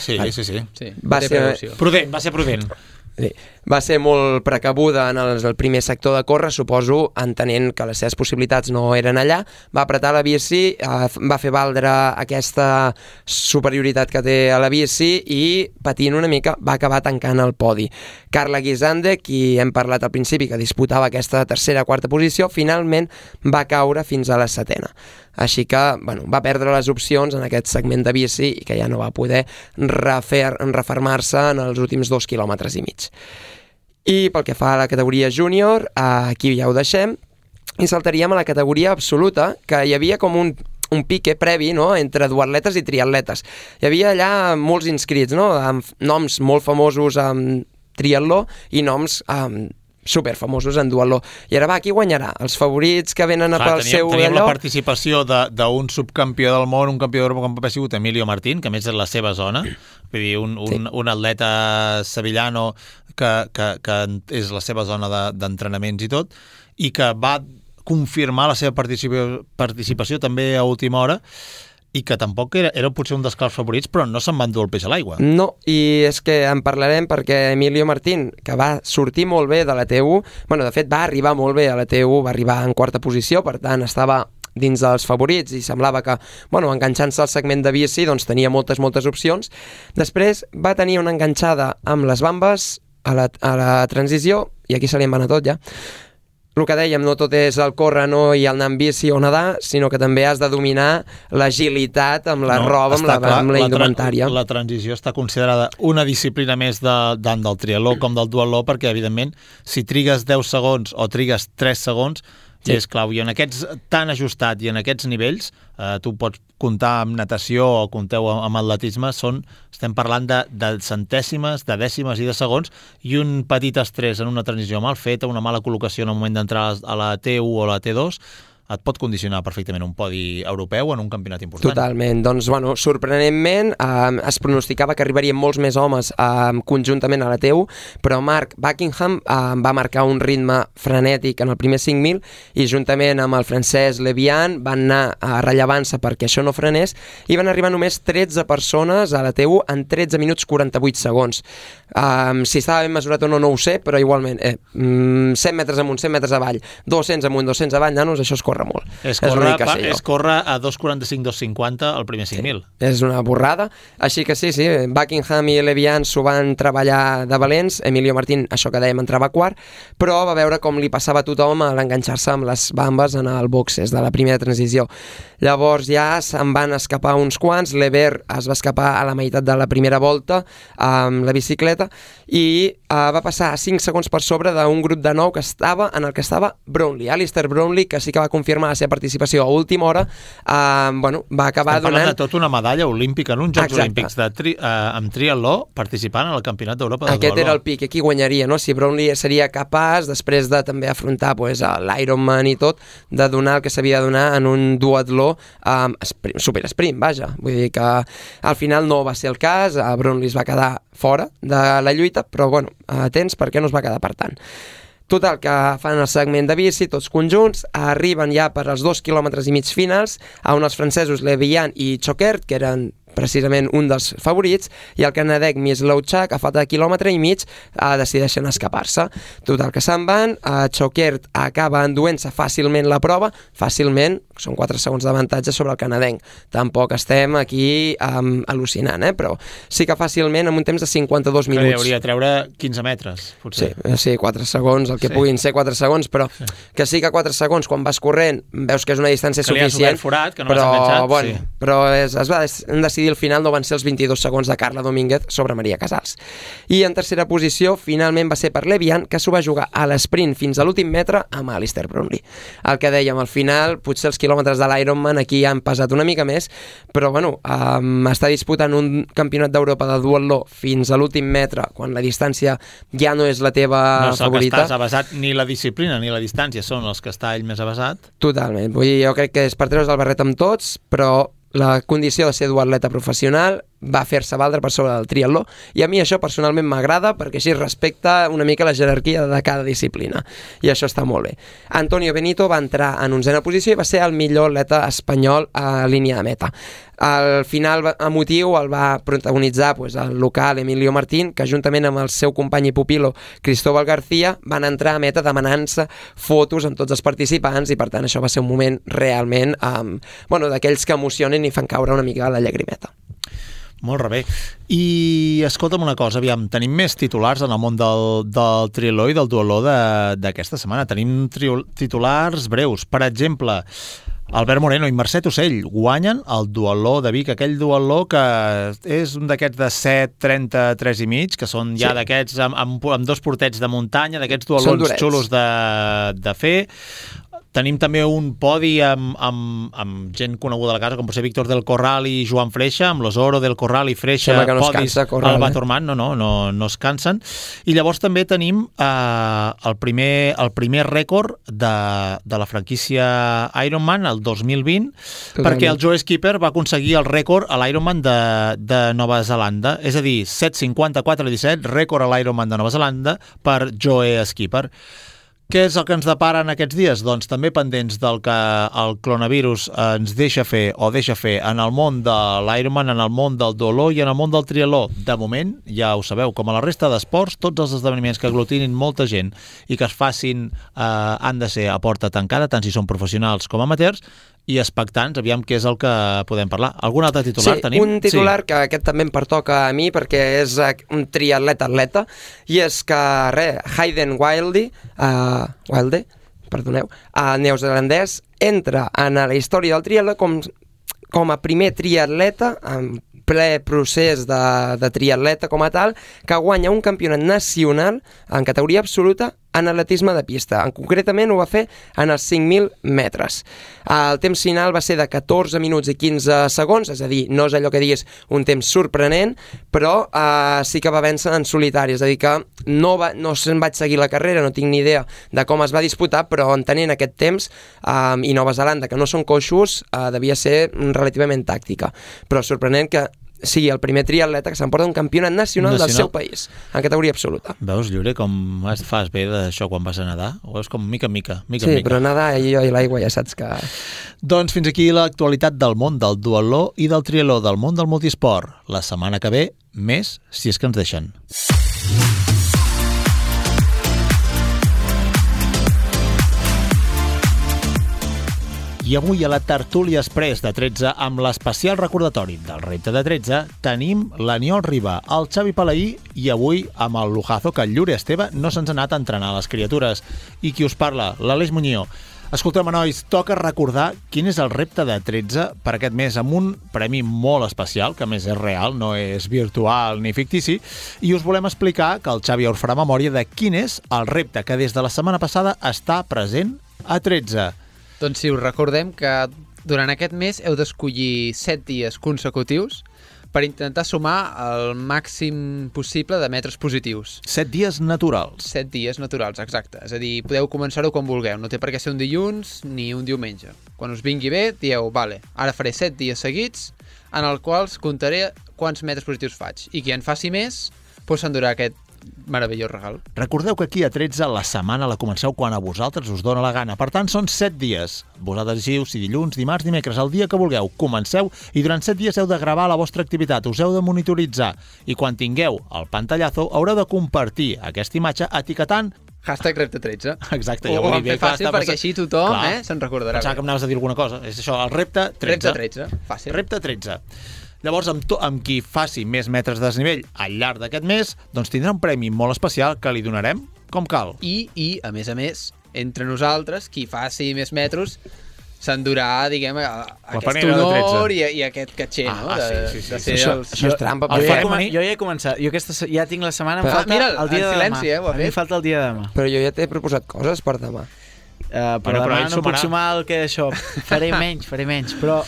sí.
Va ser
prudent.
Sí. Va ser molt precabuda en el primer sector de córrer, suposo, entenent que les seves possibilitats no eren allà, va apretar la bici, va fer valdre aquesta superioritat que té a la bici i, patint una mica, va acabar tancant el podi. Carla Guisande, qui hem parlat al principi, que disputava aquesta quarta posició, finalment va caure fins a la 7ª. Així que, va perdre les opcions en aquest segment de bici i que ja no va poder refermar-se en els últims 2,5 quilòmetres. I pel que fa a la categoria júnior, aquí ja ho deixem i saltaríem a la categoria absoluta, que hi havia com un pique previ, no?, entre duatletes i triatletes. Hi havia allà molts inscrits, no?, amb noms molt famosos en triatló i noms superfamosos en duatló. I ara qui guanyarà? Els favorits que venen pel seu allò?
Teníem la participació d'un subcampió del món, un campió d'Europa com ha sigut Emilio Martín, que a més és la seva zona, vull dir, un atleta sevillano que és la seva zona d'entrenaments i tot, i que va confirmar la seva participació també a última hora, i que tampoc era potser un dels clars favorits, però no se'n van dur el peix a l'aigua.
No, i és que en parlarem perquè Emilio Martín, que va sortir molt bé de la T1, de fet va arribar molt bé a la T1, va arribar en 4ª posició, per tant estava dins dels favorits i semblava que, enganxant-se al segment de bici, doncs tenia moltes opcions. Després va tenir una enganxada amb les bambes a la transició, i aquí se li en va anar tot ja. El que dèiem, no tot és el córrer, no, i el anar amb bici o nedar, sinó que també has de dominar l'agilitat amb la roba, amb la indumentària.
La transició està considerada una disciplina més tant del triatló com del duatló, perquè, evidentment, si trigues 10 segons o trigues 3 segons, sí, és clau. I en aquests tan ajustat i en aquests nivells, tu pots comptar amb natació o compteu amb atletisme, estem parlant de centèsimes, de dècimes i de segons, i un petit estrès en una transició mal feta, una mala col·locació en el moment d'entrar a la T1 o a la T2, et pot condicionar perfectament un podi europeu en un campionat important.
Totalment. Doncs, sorprenentment, es pronosticava que arribarien molts més homes conjuntament a la T1, però Mark Buckingham va marcar un ritme frenètic en el primer 5.000 i juntament amb el francès Levian van anar rellevant-se perquè això no frenés i van arribar només 13 persones a la T1 en 13 minuts 48 segons. Si estava ben mesurat o no, no ho sé, però igualment 100 metres amunt, 100 metres avall, 200 amunt, 200 avall, nanos, això es corre molt.
És córrer a 2.45-2.50 al primer 5.000.
Sí, és una borrada. Així que sí, Buckingham i Levian s'ho van treballar de valents. Emilio Martín, això que dèiem, entrava quart, però va veure com li passava a tothom a l'enganxar-se amb les bambes en el boxes de la primera transició. Llavors ja se'n van escapar uns quants. Lever es va escapar a la meitat de la primera volta amb la bicicleta i va passar a 5 segons per sobre d'un grup de 9 en el que estava Brownlee. Alistair Brownlee, que sí que va confirmar la seva participació a última hora, va acabar donant...
Estem parlant de tota una medalla olímpica en uns Jocs Olímpics amb triatló participant en el Campionat d'Europa de
Aquest era el pic, aquí guanyaria, no? Si Brownlee seria capaç, després de també afrontar l'Ironman i tot, de donar el que s'havia de donar en un duatló super sprint, vaja. Vull dir que al final no va ser el cas, Brownlee es va quedar fora de la lluita, però atents perquè no es va quedar per tant. Total, que fan el segment de bici, tots conjunts, arriben ja per als 2,5 quilòmetres finals, on els francesos Le Bihan i Choquert, que eren precisament un dels favorits, i el canadenc Mislauchak, a falta de 1,5 quilòmetres, decideixen escapar-se. Total, que se'n van, Choquert acaba enduent-se fàcilment la prova, fàcilment, són 4 segons d'avantatge sobre el canadenc. Tampoc estem aquí al·lucinant, però sí que fàcilment, amb un temps de 52 minuts.
Que hauria de treure 15 metres, potser.
Sí, 4 segons, el que puguin ser 4 segons, però que sí que 4 segons, quan vas corrent, veus que és una distància suficient,
forat, que no però, enganxat,
bueno, sí. Però hem decidit al final no van ser els 22 segons de Carla Domínguez sobre Maria Casals. I en tercera posició, finalment va ser per Le Bihan, que s'ho va jugar a l'esprint fins a l'últim metre amb Alistair Brownlee. El que dèiem, al final, potser els quilòmetres de l'Ironman aquí han pesat una mica més, però bueno, està disputant un campionat d'Europa de duatló fins a l'últim metre, quan la distància ja no és la teva favorita.
No és el que estàs avasat, ni la disciplina ni la distància són els que està ell més avasat.
Totalment, vull dir, jo crec que és per treure's el barret amb tots, però la condició de ser duatleta professional va fer-se valdre per sobre del triatló, i a mi això personalment m'agrada perquè així respecta una mica la jerarquia de cada disciplina, i això està molt bé. Antonio Benito va entrar en 11a posició i va ser el millor atleta espanyol a línia de meta. Al final emotiu el va protagonitzar el local Emilio Martín, que juntament amb el seu company i pupilo Cristóbal García van entrar a meta demanant-se fotos amb tots els participants, i per tant això va ser un moment realment d'aquells que emocionen i fan caure una mica la llagrimeta.
Molt bé. I escolta'm una cosa, aviam, tenim més titulars en el món del triatló i del duatló d'aquesta setmana. Tenim titulars breus. Per exemple, Albert Moreno i Mercè Tussell guanyen el duatló de Vic, aquell duatló que és un d'aquests de 7:33 i mig, que són ja d'aquests amb 2 portets de muntanya, d'aquests duatlons xulos de fer. Tenim també un podi amb gent coneguda a la casa, com pot ser Víctor del Corral i Joan Freixa, amb l'Osoro del Corral i Freixa, podis al Batormant, no es cansen. I llavors també tenim el primer rècord de la franquícia Ironman, el 2020, perquè el Joe Skipper va aconseguir el rècord a l'Ironman de Nova Zelanda, és a dir, 7:54:17, rècord a l'Ironman de Nova Zelanda per Joe Skipper. Què és el que ens depara en aquests dies? Doncs també pendents del que el coronavirus ens deixa fer en el món de l'Ironman, en el món del duatló i en el món del triatló. De moment, ja ho sabeu, com a la resta d'esports, tots els esdeveniments que aglutinin molta gent i que es facin han de ser a porta tancada, tant si són professionals com amateurs, i expectants, aviam què és el que podem parlar. Algun altre titular tenim?
Sí, un titular que aquest també em pertoca a mi perquè és un triatleta, i és que Hayden Wilde, neozelandès, entra en la història del triatló com a primer triatleta en ple procés de triatleta com a tal, que guanya un campionat nacional en categoria absoluta en atletisme de pista. Concretament ho va fer en els 5.000 metres. El temps final va ser de 14 minuts i 15 segons, és a dir, no és allò que diguis un temps sorprenent, però sí que va vèncer en solitari, és a dir que no se'n vaig seguir la carrera, no tinc ni idea de com es va disputar, però entenent aquest temps i Nova Zelanda, que no són coixos, devia ser relativament tàctica. Però sorprenent que sigui el primer triatleta que s'emporta un campionat nacional del seu país, en categoria absoluta.
Veus, Lliure, com fas bé d'això quan vas a nedar? Ho veus com mica en mica.
Sí, però nedar i l'aigua ja saps que...
Doncs fins aquí l'actualitat del món del duatló i del triatló, del món del multisport. La setmana que ve, més, si és que ens deixen. I avui a la tertúlia express de 13, amb l'especial recordatori del repte de 13, tenim l'Aniol Riba, el Xavi Palaí i avui amb el lujazo que el Llure Esteve no se'ns ha anat a entrenar a les criatures. I qui us parla? L'Aleix Muñoz. Escolteu, nois, toca recordar quin és el repte de 13 per aquest mes, amb un premi molt especial, que a més és real, no és virtual ni fictici, i us volem explicar que el Xavi us farà memòria de quin és el repte que des de la setmana passada està present a 13.
Doncs sí, us recordem que durant aquest mes heu d'escollir 7 dies consecutius per intentar sumar el màxim possible de metres positius.
7 dies naturals.
7 dies naturals, exacte. És a dir, podeu començar-ho quan vulgueu. No té per què ser un dilluns ni un diumenge. Quan us vingui bé, dieu, vale, ara faré 7 dies seguits en els quals comptaré quants metres positius faig. I qui en faci més, doncs s'endurà aquest meravellós regal.
Recordeu que aquí a 13 la setmana la comenceu quan a vosaltres us dóna la gana. Per tant, són 7 dies. Vosaltres decidiu si dilluns, dimarts, dimecres, el dia que vulgueu. Comenceu i durant 7 dies heu de gravar la vostra activitat, us heu de monitoritzar i quan tingueu el pantallazo haureu de compartir aquesta imatge etiquetant
#repte13.
Exacte.
Ho vam fer fàcil perquè així tothom se'n recordarà.
Pensava que em anaves a dir alguna cosa. És això, el repte 13.
Repte 13, fàcil.
Repte 13. Llavors, amb qui faci més metres de desnivell al llarg d'aquest mes, doncs tindrà un premi molt especial que li donarem com cal.
I a més, entre nosaltres, qui faci més metros s'endurà, diguem, aquest honor i aquest catxer, no?
Sí.
Això és trampa.
Jo ja he començat. Jo ja tinc la setmana, em falta el dia de demà. A mi falta el dia de demà.
Però jo ja t'he proposat coses per demà.
Però demà no puc sumar el que això. Faré menys. Però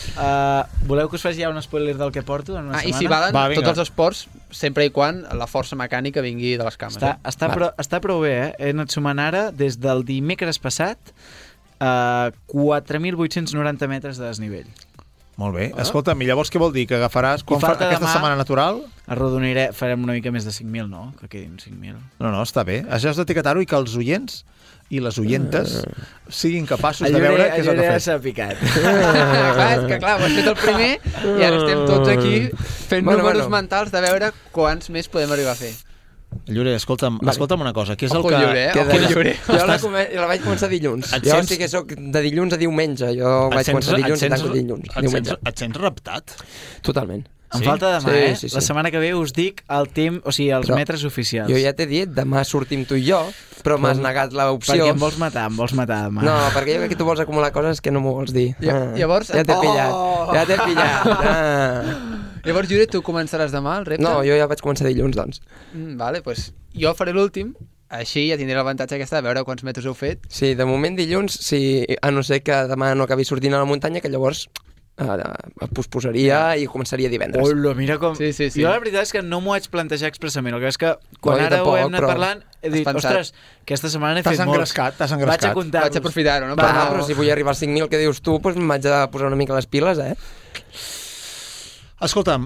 voleu que us faci ja un spoiler del que porto en una setmana?
I si valen tots els esports, sempre i quan la força mecànica vingui de les cames.
Està prou bé, eh? He anat sumant ara, des del dimecres passat, 4.890 metres de desnivell.
Molt bé. Escolta'm, i llavors què vol dir? Que agafaràs aquesta setmana natural?
Arrodoniré, farem una mica més de 5.000, no? Que quedin 5.000.
No, està bé. Això has d'etiquetar-ho i que els oients i les oientes siguin capaços de veure què és el que has
fet. Picat.
És que clar, ho has fet el primer i ara estem tots aquí fent números mentals de veure quants més podem arribar a fer.
Llorer, escolta'm una cosa. Què és el
que...
Llorer. Jo la vaig començar dilluns. Jo sí que soc de dilluns a diumenge. Jo vaig començar dilluns i tanco dilluns.
Et sents reptat?
Totalment.
Em falta demà, sí. La setmana que ve us dic el temps, o sigui, els metres oficials.
Jo ja t'he dit, demà sortim tu i jo, però m'has negat l'opció.
Perquè em vols matar demà.
No, perquè jo crec que tu vols acumular coses que no m'ho vols dir.
Llavors...
Ja t'he pillat.
Llavors, Jure, tu començaràs demà el repte?
No, jo ja vaig començar dilluns, doncs.
Vale, doncs jo faré l'últim, així ja tindré l'avantatge aquesta de veure quants metres heu fet.
Sí, de moment dilluns, a no ser que demà no acabi sortint a la muntanya, que llavors posposaria i començaria divendres.
Hola, mira com...
Sí.
Jo la veritat és que no m'ho vaig plantejar expressament. El que és que quan ara ho hem anat parlant he dit, ostres, aquesta setmana he fet molts.
T'has engrescat.
Vaig aprofitar-ho, no?
Però si vull arribar als 5.000 que dius tu, doncs m'haig de posar una mica les piles,
Escolta'm,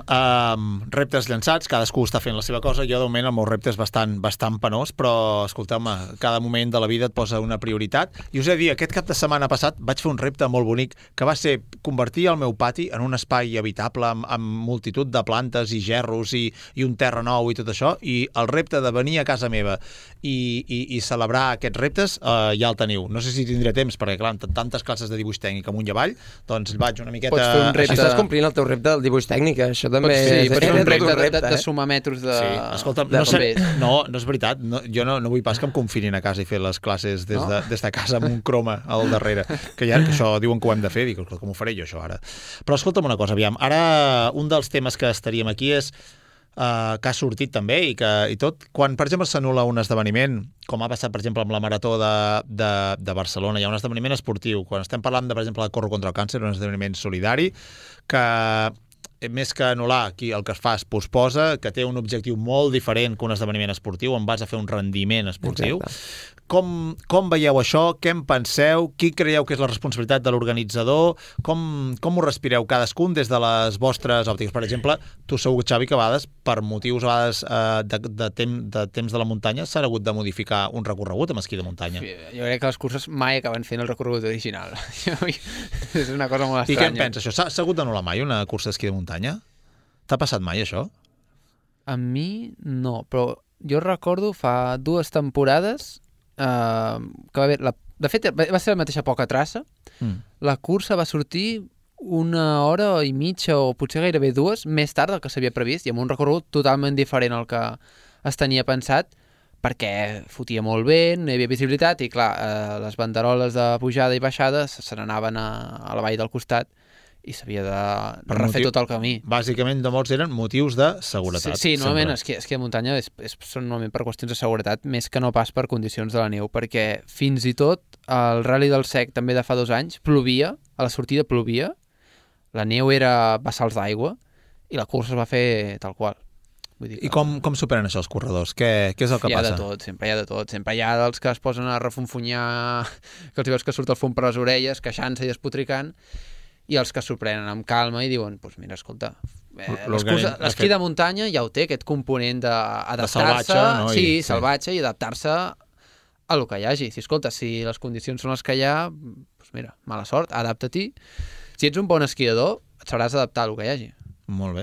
reptes llançats, cadascú està fent la seva cosa. Jo, de moment, el meu repte és bastant penós, però, escolta'm, cada moment de la vida et posa una prioritat. I us he de dir, aquest cap de setmana passat vaig fer un repte molt bonic, que va ser convertir el meu pati en un espai habitable amb multitud de plantes i gerros i un terra nou i tot això, i el repte de venir a casa meva i celebrar aquests reptes ja el teniu. No sé si tindré temps, perquè, clar, tantes classes de dibuix tècnic amunt i avall, doncs vaig una miqueta...
Pots fer un repte...
Estàs complint el teu repte del dibuix tècnic. Això també
és un repte de sumar metros de...
Sí, escolta'm, no és veritat. Jo no vull pas que em confinin a casa i fer les classes des de casa amb un croma al darrere. Que això diuen que ho hem de fer. Dic, com ho faré jo, això, ara? Però escolta'm una cosa, aviam. Ara, un dels temes que estaríem aquí és que ha sortit també i tot. Quan, per exemple, s'anul·la un esdeveniment, com ha passat, per exemple, amb la Marató de Barcelona, hi ha un esdeveniment esportiu. Quan estem parlant, per exemple, de Corro contra el Càncer, un esdeveniment solidari, que més que anul·lar, aquí el que es fa es posposa, que té un objectiu molt diferent que un esdeveniment esportiu, on vas a fer un rendiment esportiu. Exacte. Com veieu això? Què en penseu? Qui creieu que és la responsabilitat de l'organitzador? Com ho respireu cadascun des de les vostres òptiques? Per exemple, tu segur, Xavi, que a vegades, per motius a vegades de temps de la muntanya, s'ha hagut de modificar un recorregut amb esquí de muntanya.
Sí, jo crec que les curses mai acaben fent el recorregut original. És una cosa molt estranya.
I què en penses, això? S'ha hagut d'anul·lar mai una cursa d'esquí de muntanya? T'ha passat mai, això?
A mi no, però jo recordo fa 2 temporades que va haver... De fet, va ser la mateixa poca traça. La cursa va sortir 1 hora i mitja o potser gairebé 2 més tard del que s'havia previst i amb un recorregut totalment diferent al que es tenia pensat perquè fotia molt vent, no hi havia visibilitat i clar, les banderoles de pujada i baixada se n'anaven a la vall del costat i s'havia de refer tot el camí.
Bàsicament, de molts eren motius de seguretat.
Sí, normalment esquí de muntanya són normalment per qüestions de seguretat, més que no pas per condicions de la neu, perquè fins i tot el Rally del Sec, també de fa 2 anys, plovia, a la sortida plovia, la neu era bassals d'aigua i la cursa es va fer tal qual. Vull dir que...
I com superen això els corredors? Què és el que passa?
Sempre hi ha de tot. Sempre hi ha dels que es posen a refunfunyar, que els veus que surt el fum per les orelles, queixant-se i despotricant, i els que sorprenen amb calma i diuen, doncs mira, escolta, L'esquí de muntanya ja ho té, aquest component d'adaptar-se,
salvatge, no?
Sí, salvatge, i adaptar-se a lo que hi hagi. Si, escolta, si les condicions són les que hi ha, doncs mira, mala sort, adapta-t'hi. Si ets un bon esquiador, et sabràs adaptar a lo que hi hagi.
Molt bé.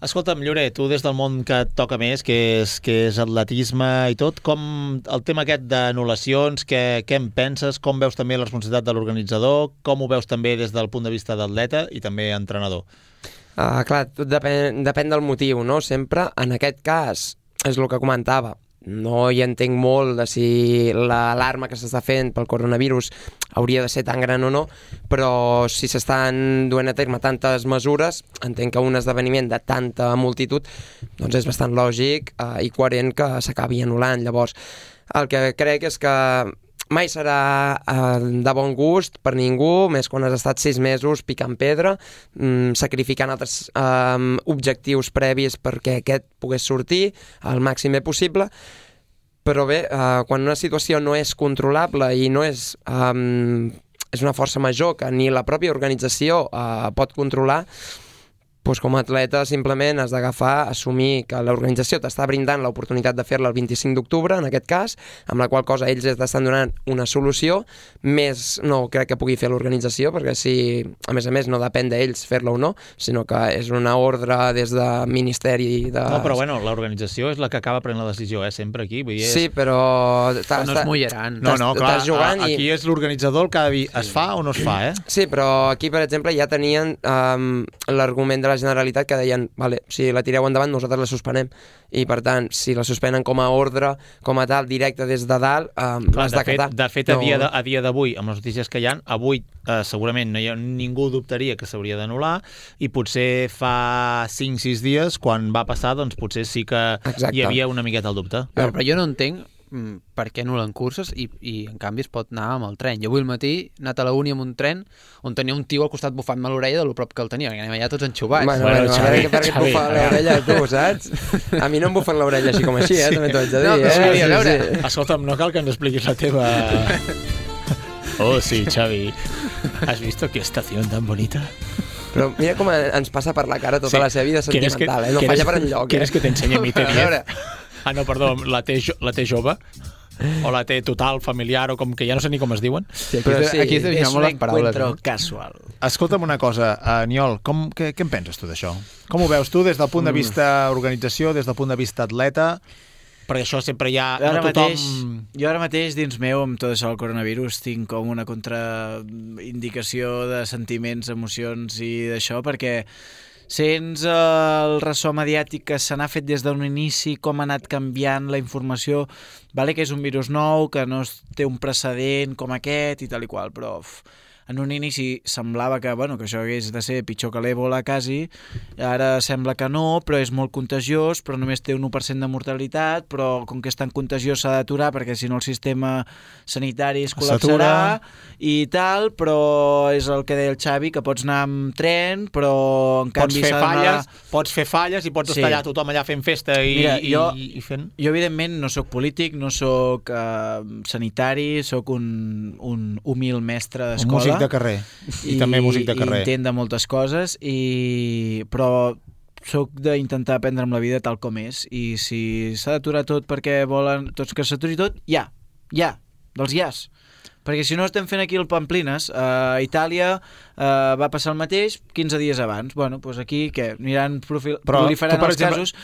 Escolta'm, Llorer, tu des del món que et toca més, que és atletisme i tot, com el tema aquest d'anul·lacions, què en penses? Com veus també la responsabilitat de l'organitzador? Com ho veus també des del punt de vista d'atleta i també entrenador?
Clar, tot depèn del motiu, no? Sempre, en aquest cas, és el que comentava, no hi entenc molt de si l'alarma que s'està fent pel coronavirus hauria de ser tan gran o no, però si s'estan duent a terme tantes mesures, entenc que un esdeveniment de tanta multitud doncs és bastant lògic i coherent que s'acabi anul·lant. Llavors, el que crec és que mai serà de bon gust per ningú, més quan has estat 6 mesos picant pedra, sacrificant altres objectius previs perquè aquest pogués sortir al màxim bé possible. Però bé, quan una situació no és controlable i no és una força major que ni la pròpia organització pot controlar, doncs com a atleta simplement has d'agafar, assumir que l'organització t'està brindant l'oportunitat de fer-la el 25 d'octubre, en aquest cas, amb la qual cosa ells t'estan donant una solució, més no crec que pugui fer l'organització, perquè si, a més no depèn d'ells fer-la o no, sinó que és una ordre des de Ministeri de...
No, però bueno, l'organització és la que acaba prenent la decisió, sempre aquí. Vull dir,
Sí, però...
no es mullaran.
No, clar, aquí és l'organitzador el que ha de dir, es fa o no es fa, eh?
Sí, però aquí, per exemple, ja tenien l'argument de la Generalitat que deien, vale, si la tireu endavant nosaltres la suspenem, i per tant si la suspenen com a ordre, com a tal, directe des de dalt, l'has d'acatar.
De fet, a dia d'avui, amb les notícies que hi ha, avui segurament ningú dubtaria que s'hauria d'anul·lar, i potser fa 5-6 dies, quan va passar, doncs potser sí que hi havia una miqueta el dubte.
Però jo no entenc per què anul·len curses i en canvi es pot anar amb el tren. Jo avui al matí he anat a la uni amb un tren on tenia un tio al costat bufant-me l'orella de lo prop que el tenia, perquè anem allà tots enxubats.
Bueno, Xavi, per què et bufa l'orella tu, saps? A mi no em bufen l'orella així com així, també t'ho haig de dir.
A veure.
Escolta'm, no cal que ens expliquis la teva... Oh, sí, Xavi. ¿Has visto qué estación tan bonita?
Però mira com ens passa per la cara tota la seva vida sentimental, no falla per enlloc.
¿Quieres que te enseñe mi T10? Ah, no, perdó, la T jove? O la T total, familiar, o com que ja no sé ni com es diuen?
Sí, aquí es devien molt les paraules. És un encuentro
casual.
Escolta'm una cosa, Aniol, què en penses tu d'això? Com ho veus tu des del punt de vista organització, des del punt de vista atleta? Perquè això sempre hi ha...
Jo ara mateix, dins meu, amb tot això del coronavirus, tinc com una contraindicació de sentiments, emocions i d'això, perquè sents el ressò mediàtic que se n'ha fet des d'un inici, com ha anat canviant la informació, vale que és un virus nou, que no té un precedent com aquest i tal i qual, però en un inici semblava que, bueno, que això hagués de ser pitjor que l'Ébola quasi, ara sembla que no, però és molt contagiós, però només té un 1% de mortalitat, però com que és tan contagiós s'ha d'aturar perquè si no el sistema sanitari es col·lapsarà i tal, però és el que deia el Xavi, que pots anar amb tren, però en canvi
pots fer falles i pots estar allà tothom allà fent festa i fent...
Jo evidentment no sóc polític, no sóc sanitari, sóc un humil mestre d'escola,
de carrer, i també músic de carrer.
I intent de moltes coses, però soc d'intentar aprendre'm la vida tal com és, i si s'ha d'aturar tot perquè volen tots que s'aturi tot, dels ias. Perquè si no estem fent aquí el Pamplines, a Itàlia va passar el mateix 15 dies abans. Bueno, doncs aquí què? Aniran proliferant els casos,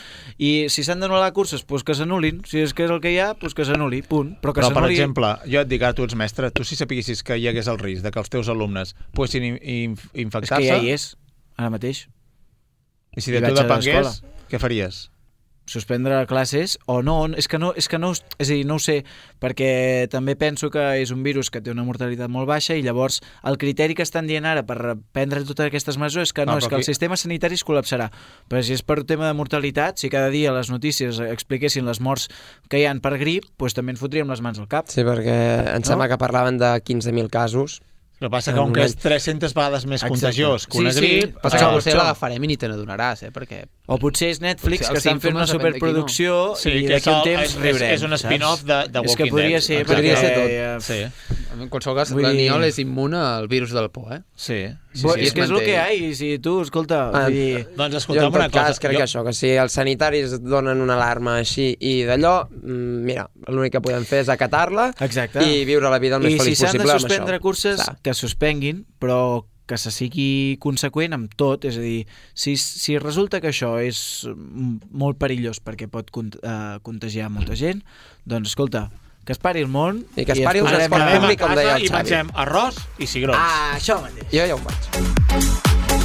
i si s'han d'anul·lar curses, doncs que s'anul·lin. Si és que és el que hi ha, doncs que s'anul·li, punt. Però
per exemple, jo et dic, tu ets mestre, tu si sapiguessis que hi hagués el risc de que els teus alumnes poguessin infectar-se...
És que ja hi és, ara mateix.
I si de tu depengués, què faries?
Suspendre classes o no, és a dir, no ho sé, perquè també penso que és un virus que té una mortalitat molt baixa i llavors el criteri que estan dient ara per prendre totes aquestes mesures és que és que el sistema sanitari es col·lapsarà. Però si és per tema de mortalitat, si cada dia les notícies expliquessin les morts que hi ha per grip, doncs també ens fotríem les mans al cap.
Sí, perquè em sembla que parlaven de 15.000 casos.
El que passa que com que és 300 vegades més contagiós que una grip...
Passa que potser l'agafarem i ni te n'adonaràs, perquè...
O potser és Netflix, que estan fent una superproducció i d'aquí un temps riurem.
És un spin-off de Walking Dead.
És que podria ser
tot.
En qualsevol cas, l'Aniol és immune al virus del por, eh?
Sí.
És que és el que hi ha, i si tu, escolta...
Doncs
Jo,
escolta'm
en tot
una cosa.
cas, crec que això, que si els sanitaris donen una alarma així i d'allò, mira, l'únic que podem fer és acatar-la i viure la vida el més feliç possible amb això.
I si s'han de suspendre curses, que suspenguin, però que se sigui conseqüent amb tot, és a dir, si resulta que això és molt perillós perquè pot contagiar molta gent, doncs, escolta, que es pari el món
i que es pari un transport públic, com deia el Xavi.
I mengem arròs i cigrons.
Això mateix.
Jo ja ho faig.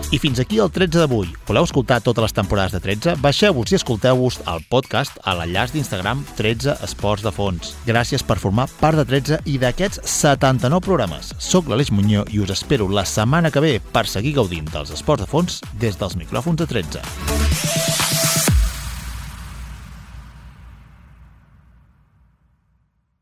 I fins aquí el 13 d'avui. Voleu escoltar totes les temporades de 13? Baixeu-vos i escolteu-vos el podcast a l'enllaç d'Instagram 13 Esports de Fons. Gràcies per formar part de 13 i d'aquests 79 programes. Soc l'Aleix Muñoz i us espero la setmana que ve per seguir gaudint dels esports de fons des dels micròfons de 13.